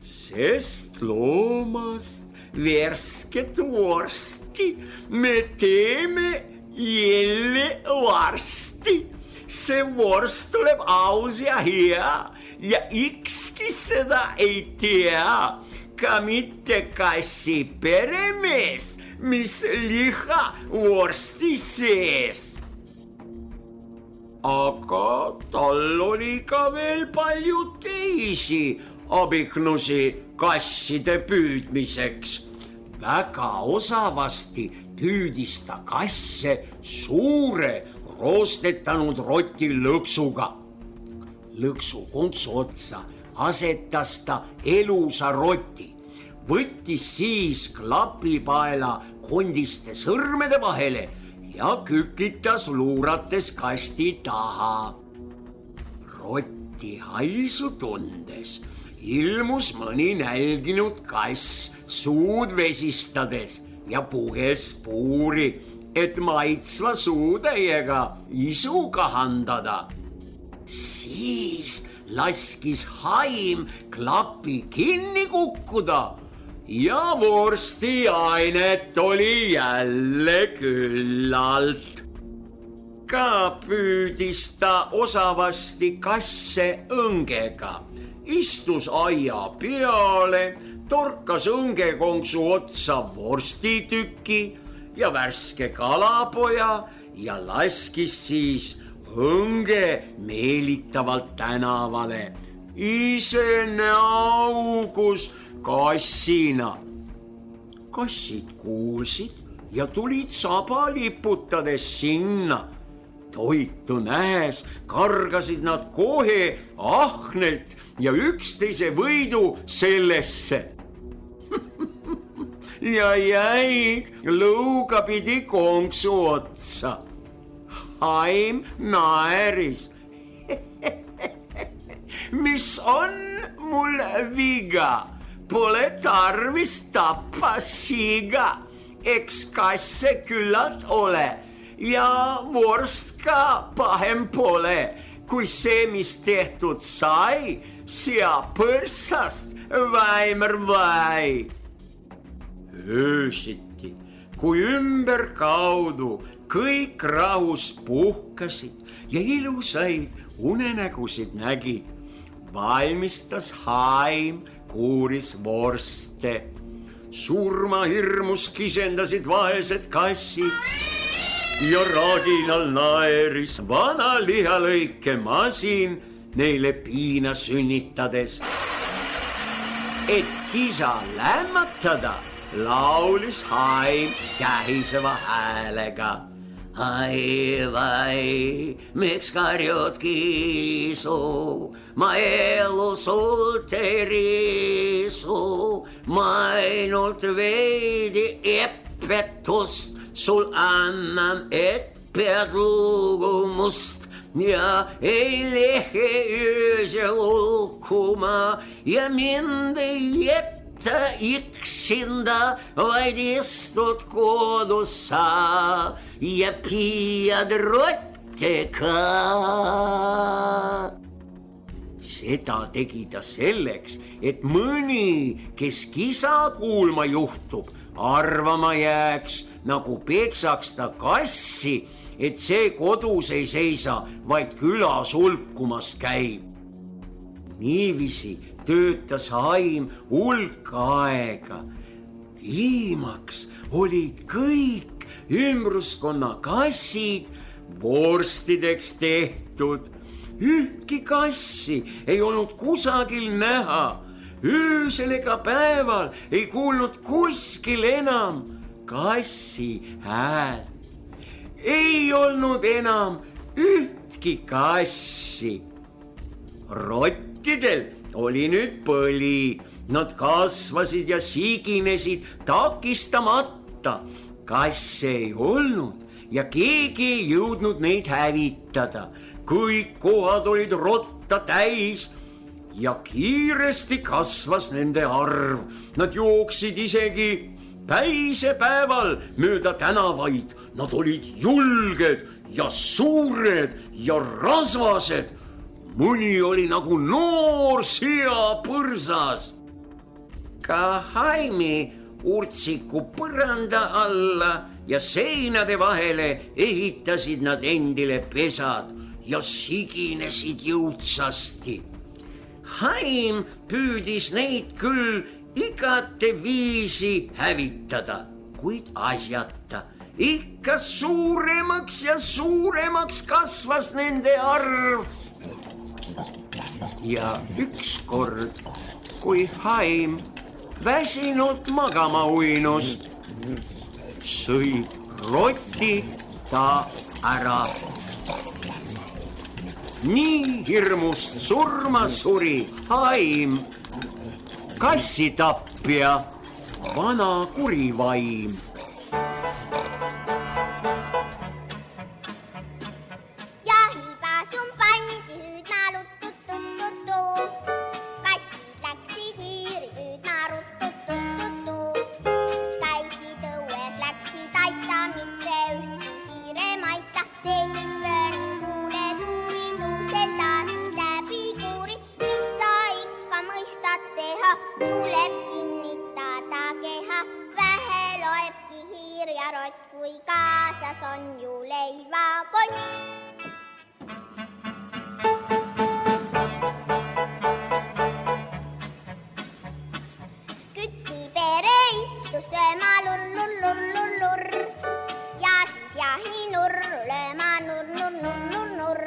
sest loomast värsket vorsti me teeme jälle varsti. See vorst tuleb aus ja hea ja ükski seda ei tea, ka mitte kassi peremees, mis liha vorsti sees. Aga tal oli ka veel palju teisi abiknusi kasside püüdmiseks. Väga osavasti püüdis ta kasse suure roostetanud roti lõksuga. Lõksu kontsu otsa asetas ta elusa roti, võttis siis klapipaela kondiste sõrmede vahele ja kükitas luurates kasti taha. Rotti haisu tundes ilmus mõni nälginud kass suud vesistades ja puges puuri, et maitsva suutäiega isu kahandada. Siis laskis Haim klapi kinni kukkuda ja vorstiainet oli jälle küllalt. Ka püüdis ta osavasti kasse õngega, istus aia peale, torkas õngekonksu otsa vorstituki ja värske kalapoja ja laskis siis õnge meelitavalt tänavale. Ise näaugus kassina. Kassid kuulsid ja tulid saba liputades sinna. Toitu nähes kargasid nad kohe ahnelt ja üksteise võidu sellesse. Ja jäid lõugapidi konksu otsa. Haim naeris. Mis on mul viga? Pole tarvis tappa siga. Eks kasse küllalt ole ja vorst ka pahem pole, kui see, mis tehtud sai, seab põrsast väimer vai. Öösiti, kui ümberkaudu kõik rahus puhkasid ja ilusaid unenägusid nägid, valmistas Haim kuuris vorste. Surmahirmus kisendasid vaesed kassid ja raginal naeris vana lihalõike masin neile piina sünnitades. Et kisa lämmatada, laulis Haim kähiseva häälega. Ai vai, miks karjud kiisu, ma elu sult ei riisu, ma ainult veidi epetust sul annan, et pead lugu must ja ei lehe öösel ulkuma ja mind ei jätta üksinda, vaid istud kodus sa ja püüad rottidega. Seda tegi ta selleks, et mõni, kes kisa kuulma juhtub, arvama jääks, nagu peksaks ta kassi, et see kodus ei seisa, vaid külas hulkumas käib. Niiviisi töötas Haim hulk aega. Viimaks olid kõik ümbruskonna kassid vorstideks tehtud. Ühtki kassi ei olnud kusagil näha. Öösel ega päeval ei kuulnud kuskil enam kassi hääl. Ei olnud enam ühtki kassi. Rottidel oli nüüd põli. Nad kasvasid ja siginesid takistamata. Kasse ei olnud ja keegi ei jõudnud neid hävitada. Kõik kohad olid rotta täis ja kiiresti kasvas nende arv. Nad jooksid isegi päisepäeval mööda tänavaid. Nad olid julged ja suured ja rasvased. Mõni oli nagu noor seapõrsas. Ka Haimi urtsiku põranda alla ja seinade vahele ehitasid nad endile pesad ja siginesid jõudsasti. Haim püüdis neid küll igate viisi hävitada, kuid asjata. Ikka suuremaks ja suuremaks kasvas nende arv. Ja ükskord, kui Haim väsinud magama uinus, sõid rotid ta ära. Nii hirmust surma suri Haim, kassitapja, vana kurivaim. Tuleb kinnitada keha, vähe loebki hiir ja rott, kui kaasas on ju leivakott. Kütipere istus sööma lurr, ja siis jahinurr lööma nurr.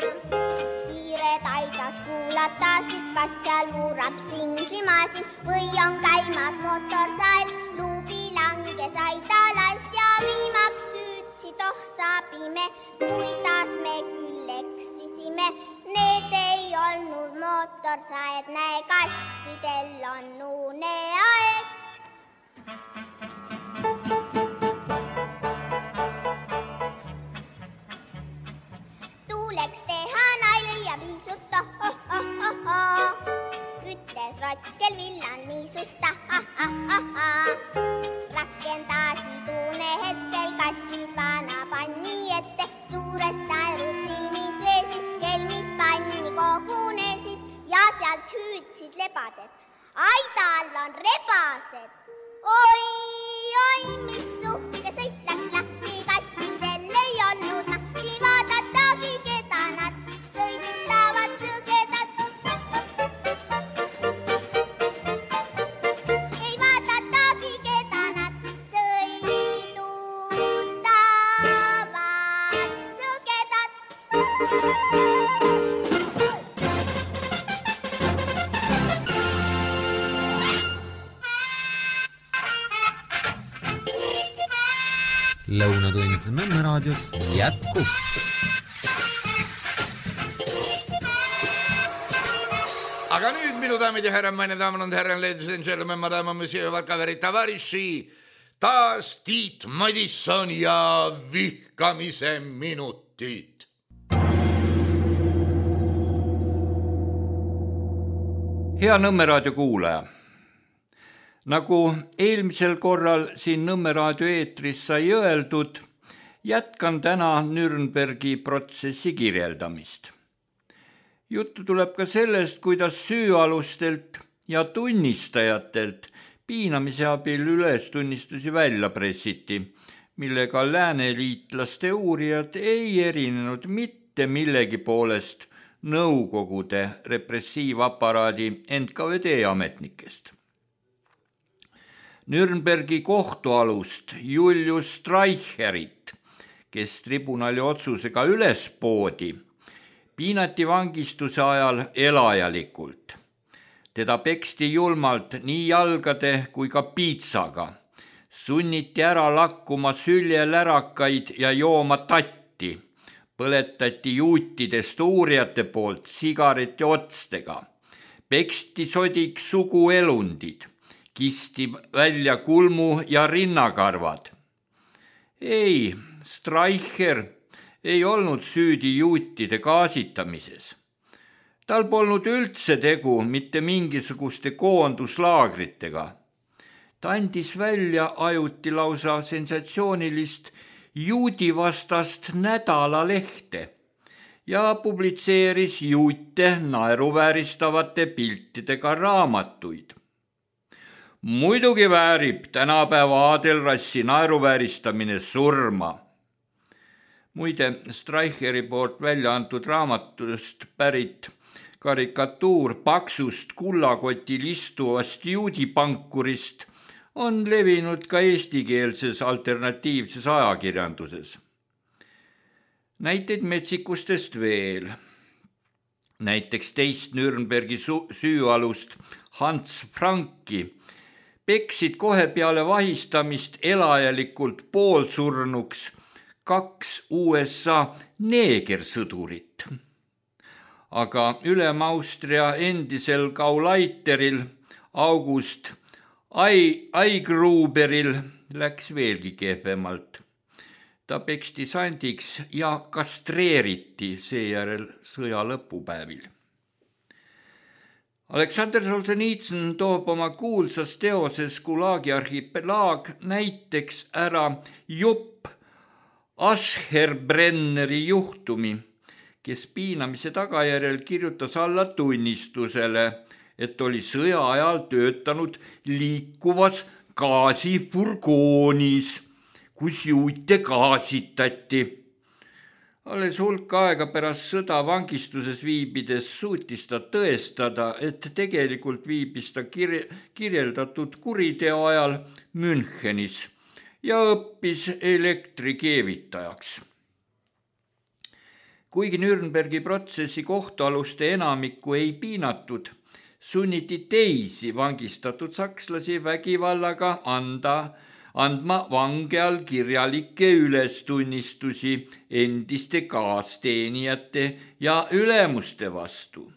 Hiired aitas kuulatasid, kas seal murrab singlimasin või on käimas motorsaed. Luubi langes aidalast ja viimaks süüdsid, sabime, kuidas me küll eksisime. Need ei olnud motorsaed, näe, kassidel on uneaeg. Tuuleks teha nalja ja viisuta, ütles rott, kel villan niisusta, rakendasid une hetkel kassid vana panni ette, suurest naerust silmis veesid, kelmid panni kogunesid ja sealt hüüdsid lebades. Aidal on rebased, oi, mis uhke sõit läks lahti, kassidel ei olnud nahti, vaadatagi keda nad sõidustavad sõgedad. Ei vaadatagi keda nad sõidustavad sõgedad. Lõunatund Nõmme raadios jätkub. Aga nüüd, minu daamid ja härrad, meine damen und herren, ladies and gentlemen, madame, monsieur, vakaveri, tavariši, taas Tiit Madisson ja vihkamise minutid. Hea Nõmme raadio kuulaja. Nagu eelmisel korral siin Nõmme raadio eetris sai öeldud, Jätkan täna Nürnbergi protsessi kirjeldamist. Juttu tuleb ka sellest, kuidas süüalustelt ja tunnistajatelt piinamise abil ülestunnistusi välja pressiti, millega lääneliitlaste uurijad ei erinenud mitte millegi poolest Nõukogude repressiivaparaadi NKVD ametnikest. Nürnbergi kohtualust Julius Streicherit, kes tribunali otsusega üles poodi, piinati vangistuse ajal elajalikult. Teda peksti julmalt nii jalgade kui ka piitsaga, sunniti ära lakkuma süljelärakaid ja jooma tatti, põletati juutidest uurijate poolt sigareti otstega, peksti sodiks suguelundid, kisti välja kulmu ja rinnakarvad. Ei, Streicher ei olnud süüdi juutide gaasitamises. Tal polnud üldse tegu mitte mingisuguste koonduslaagritega. Ta andis välja ajuti lausa sensatsioonilist juudivastast nädalalehte ja publitseeris juute naeruvääristavate piltidega raamatuid. Muidugi väärib tänapäeva aadelrassi naeruvääristamine surma. Muide, Streicheri poolt välja antud raamatust pärit karikatuur paksust kullakotil istuvast juudipankurist on levinud ka eestikeelses alternatiivses ajakirjanduses. Näiteid metsikustest veel. Näiteks teist Nürnbergi süüalust Hans Franki peksid kohe peale vahistamist elajalikult poolsurnuks 2 USA neegersõdurit. Aga Ülem-Austria endisel Gauleiteril August Aigruberil läks veelgi kehvemalt. Ta peksti sandiks ja kastreeriti seejärel sõja lõpupäevil. Aleksander Solženitsõn toob oma kuulsas teoses Gulagi arhipelaag näiteks ära jupp Ascherbrenneri juhtumi, kes piinamise tagajärjel kirjutas alla tunnistusele, et oli sõja ajal töötanud liikuvas gaasifurgoonis, kus juute gaasitati. Alles hulk aega pärast sõda vangistuses viibides suutis ta tõestada, et tegelikult viibis ta kirjeldatud kuriteo ajal Münchenis ja õppis elektrikeevitajaks. Kuigi Nürnbergi protsessi kohtualuste enamikku ei piinatud, sunniti teisi vangistatud sakslasi vägivallaga andma vange all kirjalikke ülestunnistusi endiste kaasteenijate ja ülemuste vastu.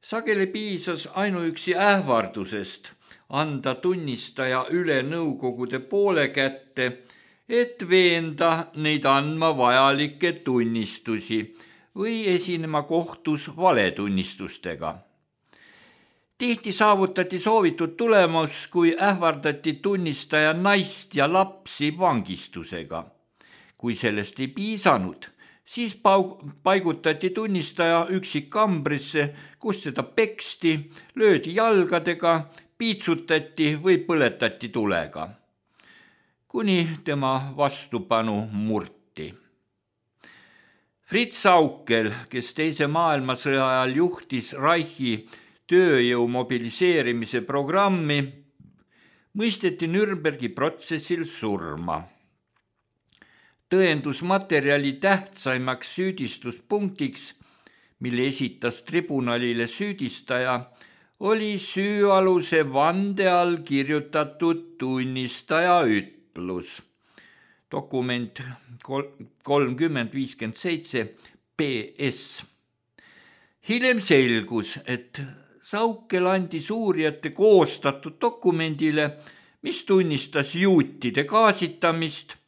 Sageli piisas ainuüksi ähvardusest anda tunnistaja üle Nõukogude poole kätte, et veenda neid andma vajalikke tunnistusi või esinema kohtus valetunnistustega. Tihti saavutati soovitud tulemus, kui ähvardati tunnistaja naist ja lapsi vangistusega. Kui sellest ei piisanud, siis paigutati tunnistaja üksikkambrisse, kus teda peksti, löödi jalgadega, piitsutati või põletati tulega, kuni tema vastupanu murti. Fritz Saukel, kes teise maailmasõja ajal juhtis Reichi tööjõu mobiliseerimise programmi, mõisteti Nürnbergi protsessil surma. Tõendusmaterjali tähtsaimaks süüdistuspunktiks, mille esitas tribunalile süüdistaja, oli süüaluse vande all kirjutatud tunnistaja ütlus. Dokument 3057 PS. Hiljem selgus, et Saukel andis uurijate koostatud dokumendile, mis tunnistas juutide gaasitamist,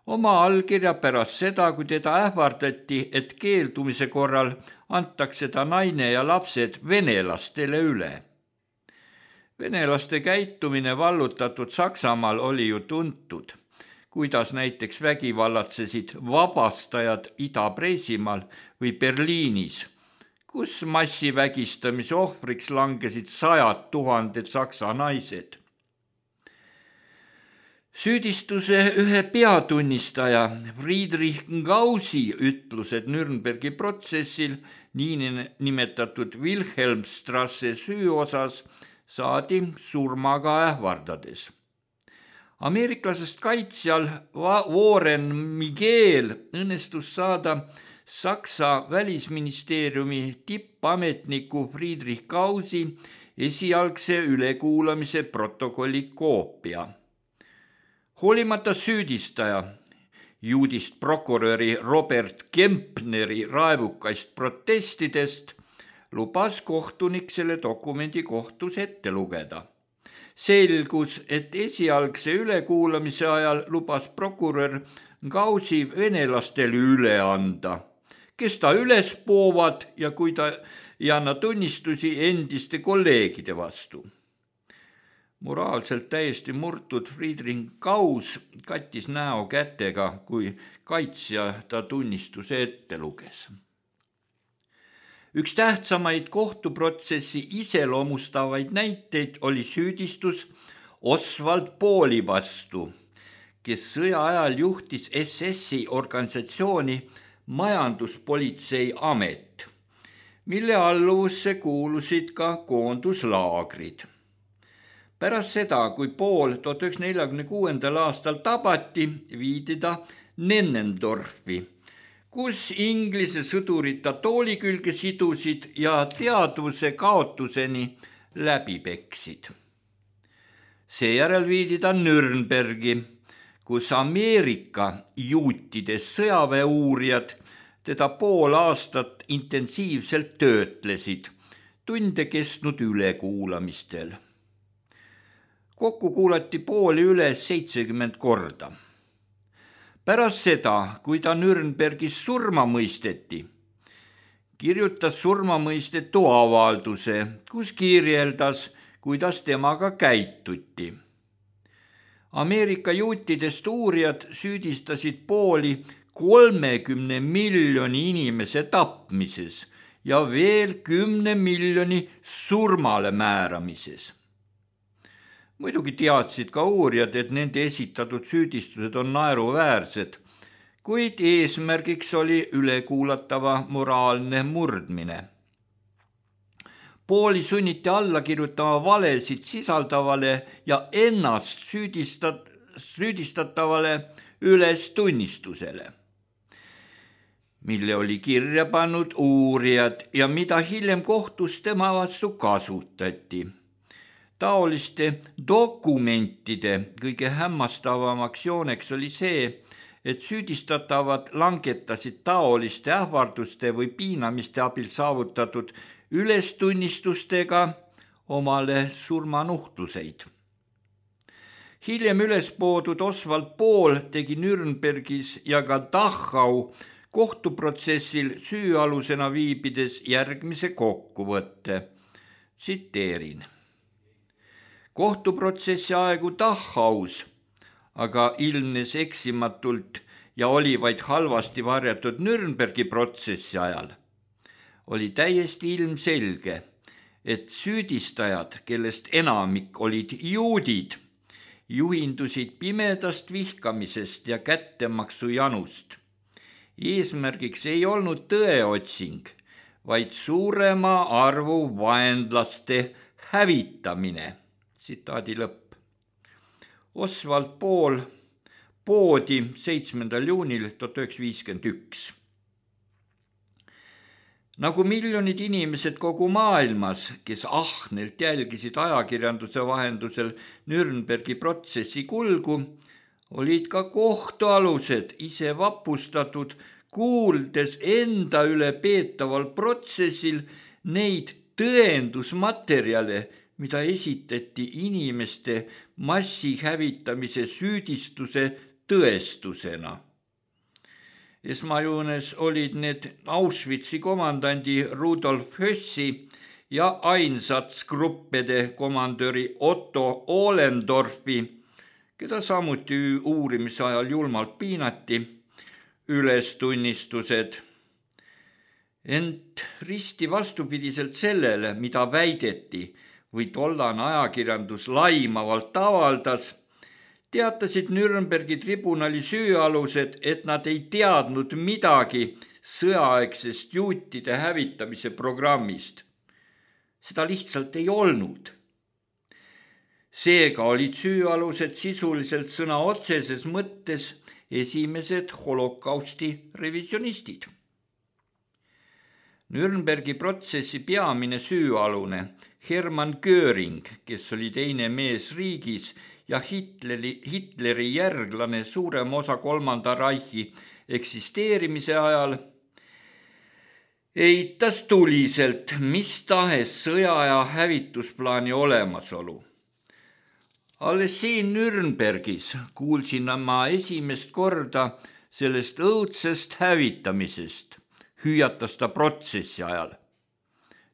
oma allkirja pärast seda, kui teda ähvardati, et keeldumise korral antakse ta naine ja lapsed venelastele üle. Venelaste käitumine vallutatud Saksamaal oli ju tuntud. kuidas näiteks vägivallatsesid vabastajad Ida-Preisimaal või Berliinis, kus massivägistamise ohvriks langesid 100 000 saksa naised. Süüdistuse ühe peatunnistaja Friedrich Gausi ütlused Nürnbergi protsessil niinimetatud Wilhelmstrasse süü osas saadi surmaga ähvardades. Ameeriklasest kaitsjal Warren Miguel õnnestus saada Saksa välisministeeriumi tippametniku Friedrich Gausi esialgse ülekuulamise protokolli koopia. Hoolimata süüdistaja, juudist prokuröri Robert Kempneri raevukaist protestidest, lubas kohtunik selle dokumendi kohtus ette lugeda. Selgus, et esialgse ülekuulamise ajal lubas prokurör Gausi venelastele üle anda, kes ta üles poovad ja kui ta ei anna tunnistusi endiste kolleegide vastu. Moraalselt täiesti murtud Friedrich Gaus kattis näo kätega, kui kaitsja ta tunnistuse ette luges. Üks tähtsamaid kohtuprotsessi iseloomustavaid näiteid oli süüdistus Oswald Pooli vastu, kes sõja ajal juhtis SS-i organisatsiooni Majanduspolitsei Amet, mille alluvusse kuulusid ka koonduslaagrid. Pärast seda, kui Pool 1946. aastal tabati, viidi ta Nennendorfi, kus Inglise sõdurid ta tooli külge sidusid ja teadvuse kaotuseni läbi peksid. Seejärel viidi ta Nürnbergi, kus Ameerika juutides sõjaväeuurijad teda pool aastat intensiivselt töötlesid, tunde kestnud ülekuulamistel. Kokku kuulati Pooli üle 70 korda. Pärast seda, kui ta Nürnbergis surma mõisteti, kirjutas surmamõistetu avalduse, kus kirjeldas, kuidas temaga käituti. Ameerika juutidest uurijad süüdistasid Pooli 30 miljoni inimese tapmises ja veel 10 miljoni surmale määramises. Muidugi teadsid ka uurijad, et nende esitatud süüdistused on naeruväärsed, kuid eesmärgiks oli ülekuulatava moraalne murdmine. Pooli sunniti alla kirjutama valesid sisaldavale ja ennast süüdistatavale ülestunnistusele, mille oli kirja pannud uurijad ja mida hiljem kohtus tema vastu kasutati. Taoliste dokumentide kõige hämmastavamaks jooneks oli see, et süüdistatavad langetasid taoliste ähvarduste või piinamiste abil saavutatud ülestunnistustega omale surmanuhtluseid. Hiljem ülespoodud Oswald Pool tegi Nürnbergis ja ka Dachau kohtuprotsessil süüalusena viibides järgmise kokkuvõtte. Tsiteerin. Kohtuprotsessi aegu Dachaus, aga ilmnes eksimatult ja oli vaid halvasti varjatud Nürnbergi protsessi ajal, oli täiesti ilmselge, et süüdistajad, kellest enamik olid juudid, juhindusid pimedast vihkamisest ja kättemaksu janust. Eesmärgiks ei olnud tõeotsing, vaid suurema arvu vaenlaste hävitamine. Tsitaadi lõpp. Oswald Pool poodi 7. juunil 1951. Nagu miljonid inimesed kogu maailmas, kes ahnelt jälgisid ajakirjanduse vahendusel Nürnbergi protsessi kulgu, olid ka kohtualused ise vapustatud, kuuldes enda üle peetaval protsessil neid tõendusmaterjale, mida esitati inimeste massihävitamise süüdistuse tõestusena. Esmajoones olid need Auschwitzi komandandi Rudolf Hössi ja Einsatzgruppede komandöri Otto Ohlendorfi, keda samuti uurimise ajal julmalt piinati, ülestunnistused. Ent risti vastupidiselt sellele, mida väideti või tollane ajakirjandus laimavalt avaldas, teatasid Nürnbergi tribunali süüalused, et nad ei teadnud midagi sõjaaegsest juutide hävitamise programmist. Seda lihtsalt ei olnud. Seega olid süüalused sisuliselt sõna otseses mõttes esimesed holokausti revisionistid. Nürnbergi protsessi peamine süüalune Hermann Göring, kes oli teine mees riigis ja Hitleri järglane suurem osa kolmanda Reichi eksisteerimise ajal, eitas tuliselt mis tahes sõja ja hävitusplaani olemasolu. Alles siin Nürnbergis kuulsin ma esimest korda sellest õudsest hävitamisest, hüüatas ta protsessi ajal.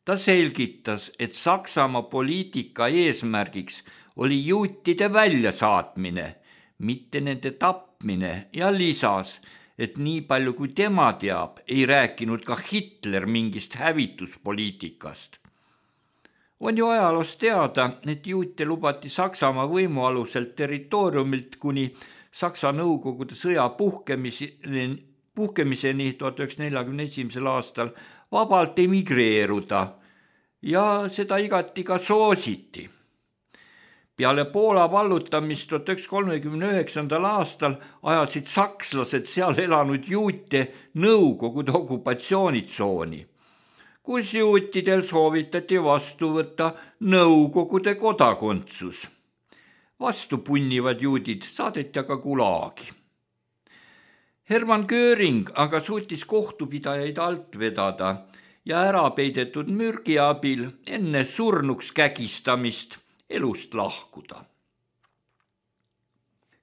Ta selgitas, et Saksamaa poliitika eesmärgiks oli juutide väljasaatmine, mitte nende tapmine ja lisas, et nii palju kui tema teab, ei rääkinud ka Hitler mingist hävituspoliitikast. On ju ajaloost teada, et juute lubati Saksamaa võimu aluselt territooriumilt kuni Saksa Nõukogude sõja puhkemiseni 1941. aastal vabalt emigreeruda ja seda igati ka soositi. Peale Poola vallutamist 1939. aastal ajasid sakslased seal elanud juute Nõukogude okupatsioonitsooni, kus juutidel soovitati vastu võtta Nõukogude kodakondsus. Vastu punnivad juudid saadeti aga Gulagi. Hermann Göring aga suutis kohtupidajaid alt vedada ja ära peidetud mürgi abil enne surnuks kägistamist elust lahkuda.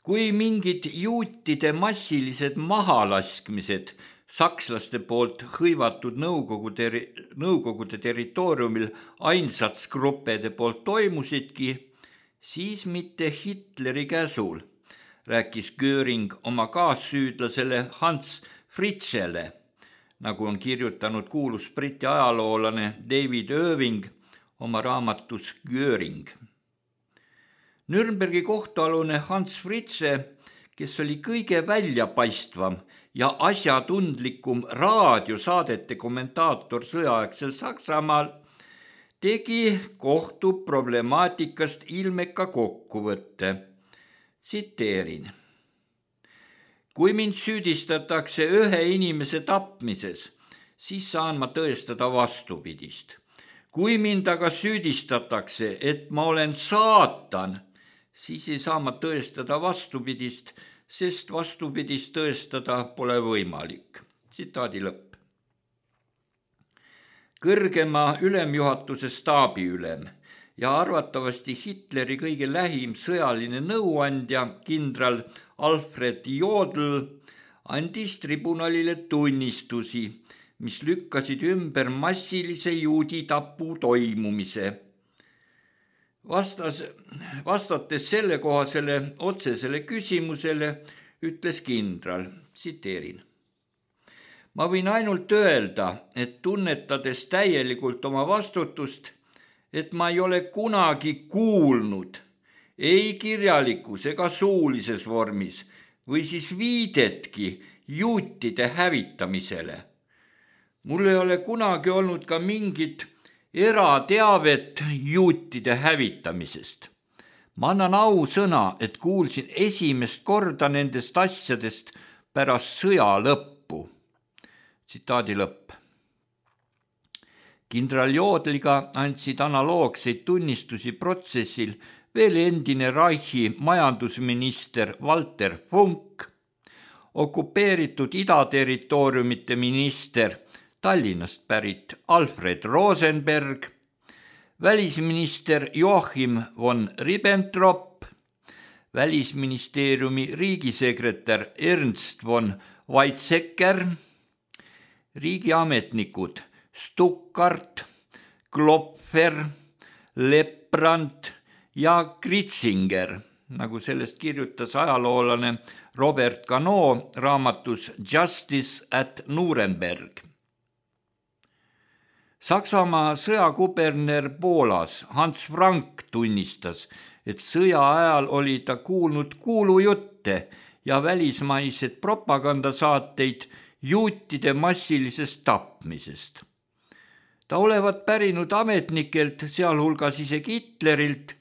Kui mingid juutide massilised mahalaskmised sakslaste poolt hõivatud Nõukogude territooriumil ainsatsgruppede poolt toimusidki, siis mitte Hitleri käsul, rääkis Göring oma kaassüüdlasele Hans Fritzele, nagu on kirjutanud kuulus briti ajaloolane David Irving oma raamatus Göring. Nürnbergi kohtualune Hans Fritze, kes oli kõige väljapaistvam ja asjatundlikum raadiosaadete kommentaator sõjaaegsel Saksamaal, tegi kohtu problemaatikast ilmeka kokkuvõtte. Tsiteerin. Kui mind süüdistatakse ühe inimese tapmises, siis saan ma tõestada vastupidist. Kui mind aga süüdistatakse, et ma olen saatan, siis ei saa ma tõestada vastupidist, sest vastupidist tõestada pole võimalik. Tsitaadi lõpp. Kõrgema ülemjuhatuse staabiülem ja arvatavasti Hitleri kõige lähim sõjaline nõuandja kindral Alfred Jodl andis tribunalile tunnistusi, mis lükkasid ümber massilise juudi tapu toimumise. Vastates sellekohasele otsesele küsimusele ütles kindral, tsiteerin. Ma võin ainult öelda, et tunnetades täielikult oma vastutust, et ma ei ole kunagi kuulnud ei kirjalikus ega suulises vormis või siis viidetki juutide hävitamisele. Mul ei ole kunagi olnud ka mingit erateavet juutide hävitamisest. Ma annan ausõna, et kuulsin esimest korda nendest asjadest pärast sõja lõppu. Tsitaadi lõpp. Kindral Jodliga andsid analoogseid tunnistusi protsessil veel endine Reichi majandusminister Walter Funk, okupeeritud idaterritooriumite minister Tallinnast pärit Alfred Rosenberg, välisminister Joachim von Ribbentrop, välisministeeriumi riigisekretär Ernst von Weizsäcker, riigiametnikud Stuckart, Klopfer, Lepprand ja Kritzinger, nagu sellest kirjutas ajaloolane Robert Cano raamatus Justice at Nuremberg. Saksamaa sõjakuberner Poolas Hans Frank tunnistas, et sõja ajal oli ta kuulnud kuulujutte ja välismaised propagandasaateid juutide massilisest tapmisest. Ta olevat pärinud ametnikelt, sealhulgas isegi Hitlerilt,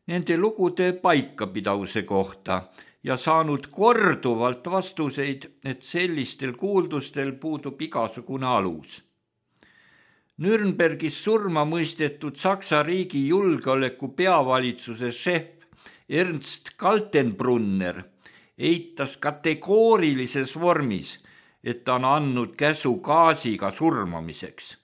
nende lugude paikapidavuse kohta ja saanud korduvalt vastuseid, et sellistel kuuldustel puudub igasugune alus. Nürnbergis surma mõistetud Saksa riigi julgeoleku peavalitsuse šef Ernst Kaltenbrunner eitas kategoorilises vormis, et ta on andnud käsu gaasiga surmamiseks.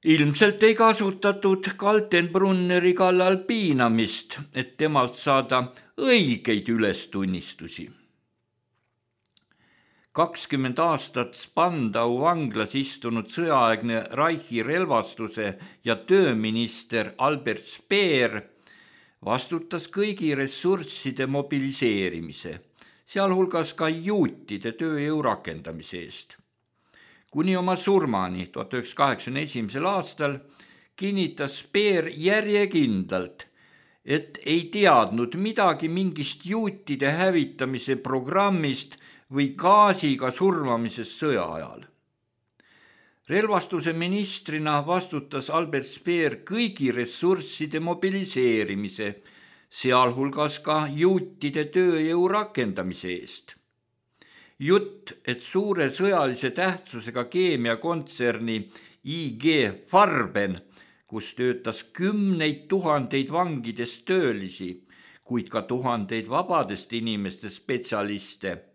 Ilmselt ei kasutatud Kaltenbrunneri kallal piinamist, et temalt saada õigeid ülestunnistusi. 20 aastat Spandau vanglas istunud sõjaaegne Reichi relvastuse ja tööminister Albert Speer vastutas kõigi ressursside mobiliseerimise, sealhulgas ka juutide tööjõu rakendamise eest. Kuni oma surmani 1981. aastal kinnitas Speer järjekindlalt, et ei teadnud midagi mingist juutide hävitamise programmist või gaasiga surmamisest sõja ajal. Relvastuse ministrina vastutas Albert Speer kõigi ressursside mobiliseerimise, sealhulgas ka juutide tööjõu rakendamise eest. Jutt, et suure sõjalise tähtsusega keemiakontserni IG Farben, kus töötas 10 000 vangidest töölisi, kuid ka tuhandeid vabadest inimestest spetsialiste,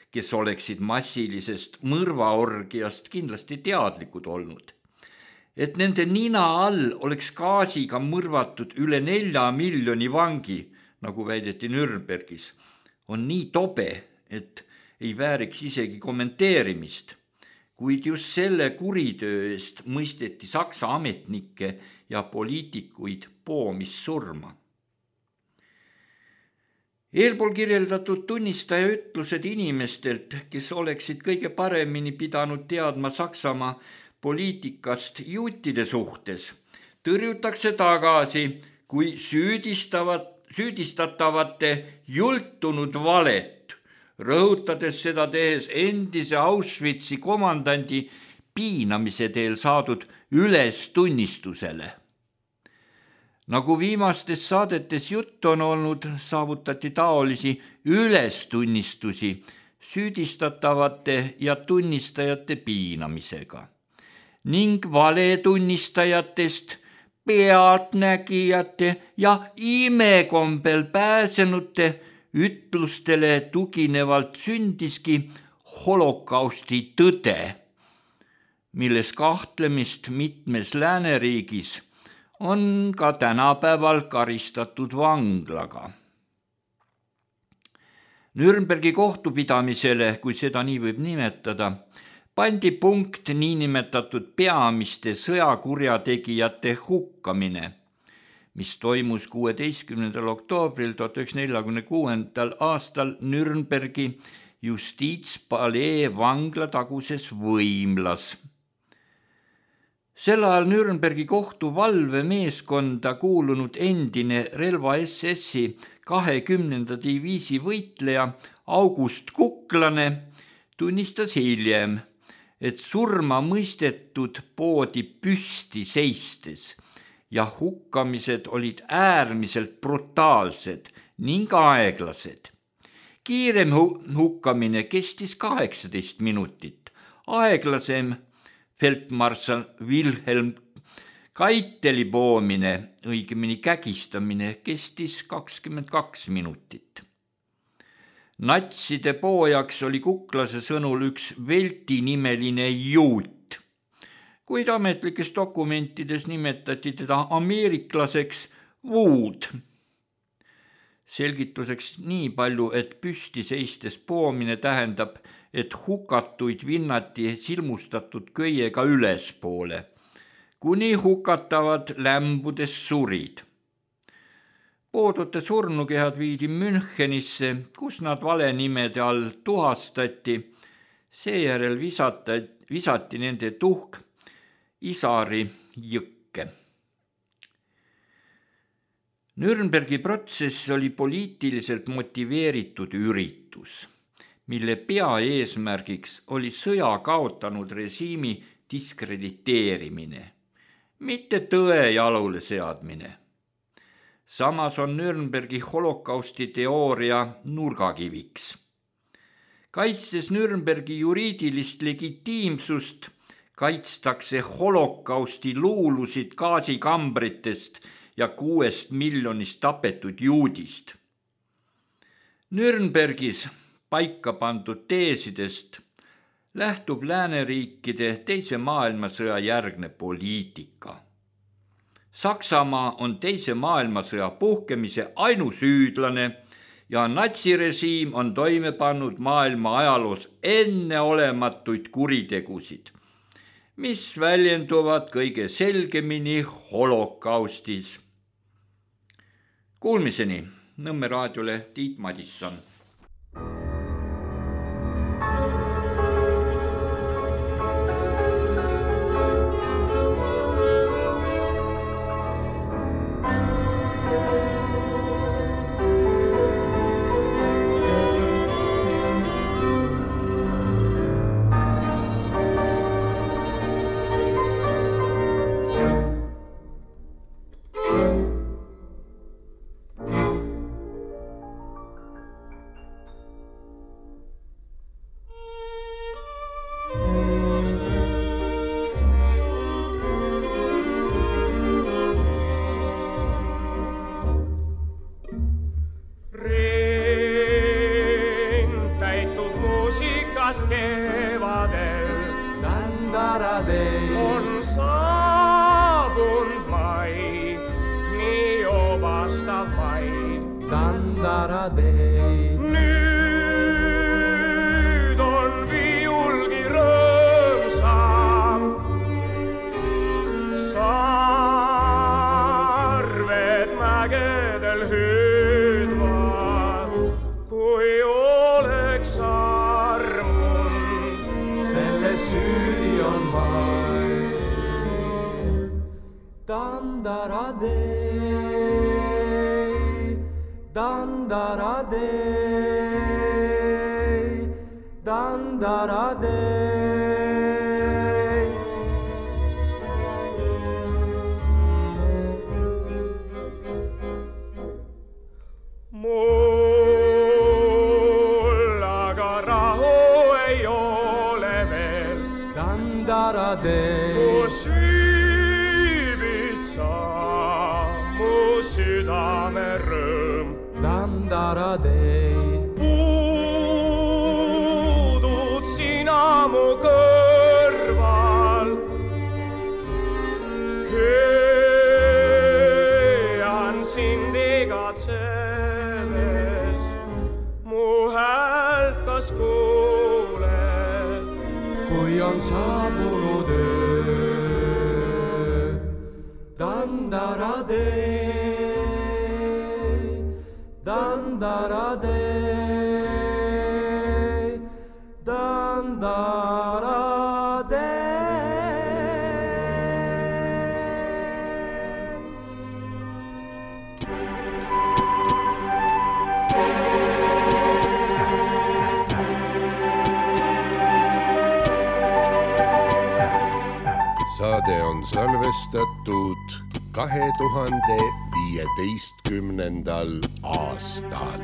kes oleksid massilisest mõrvaorgiast kindlasti teadlikud olnud. Et nende nina all oleks gaasiga mõrvatud üle 4 miljoni vangi, nagu väideti Nürnbergis, on nii tobe, et ei vääriks isegi kommenteerimist, kuid just selle kuritöö eest mõisteti Saksa ametnikke ja poliitikuid poomissurma. Eelpool kirjeldatud tunnistaja ütlused inimestelt, kes oleksid kõige paremini pidanud teadma Saksamaa poliitikast juutide suhtes, tõrjutakse tagasi kui süüdistatavate jultunud valet, rõhutades seda tehes endise Auschwitzi komandandi piinamise teel saadud ülestunnistusele. Nagu viimastes saadetes jutt on olnud, saavutati taolisi ülestunnistusi süüdistatavate ja tunnistajate piinamisega ning valetunnistajatest, pealtnägijate ja imekombel pääsenute ütlustele tuginevalt sündiski holokausti tõde, milles kahtlemist mitmes lääneriigis on ka tänapäeval karistatud vanglaga. Nürnbergi kohtupidamisele, kui seda nii võib nimetada, pandi punkt niinimetatud peamiste sõjakurjategijate hukkamine, mis toimus 16. oktoobril 1946. aastal Nürnbergi justiitspalee vangla taguses võimlas. Sel ajal Nürnbergi kohtu valvemeeskonda kuulunud endine relva SS-i 20. diviisi võitleja August Kuklane tunnistas hiljem, et surma mõistetud poodi püsti seistes ja hukkamised olid äärmiselt brutaalsed ning aeglased. Kiirem hukkamine kestis 18 minutit, aeglasem feldmarssal Wilhelm Keiteli poomine, õigemini kägistamine, kestis 22 minutit. Natside poojaks oli Kuklase sõnul üks Velti nimeline juut, kuid ametlikes dokumentides nimetati teda ameeriklaseks Wood. Selgituseks nii palju, et püsti seistes poomine tähendab, et hukatuid vinnati silmustatud köiega ülespoole, kuni hukatavad lämbudes surid. Poodute surnukehad viidi Münchenisse, kus nad valenimede all tuhastati. Seejärel visati nende tuhk Isari jõkke. Nürnbergi protsess oli poliitiliselt motiveeritud üritus, mille peaeesmärgiks oli sõja kaotanud režiimi diskrediteerimine, mitte tõe jalule seadmine. Samas on Nürnbergi holokausti teooria nurgakiviks. Kaitstes Nürnbergi juriidilist legitiimsust, kaitstakse holokausti luulusid gaasikambritest ja 6 miljonist tapetud juudist. Nürnbergis paika pandud teesidest lähtub lääneriikide teise maailmasõja järgne poliitika. Saksamaa on teise maailmasõja puhkemise ainusüüdlane ja natsirežiim on toime pannud maailma ajaloos enneolematuid kuritegusid, mis väljenduvad kõige selgemini holokaustis. Kuulmiseni, Nõmme raadiole Tiit Madisson. On saabund mai, nii obastav mai. Nüüd on viiulgi rõõmsam. Sarved mägedel hüüdvad, kui oleks armund. Selle süüdi on mai. Dandaradei, dandaradei, dandaradei. Mul aga rahu ei ole veel. Dandaradei. Kus viibid sa, mu südame rõõm. Dandaradei. Puudud sina mu kõrval. Hööan sind igatsedes, mu häält kas kuuled, kui on saabunud öö. Dandaradei, dandaradei, dandaradei. Saade on salvestatud 2015. aastal.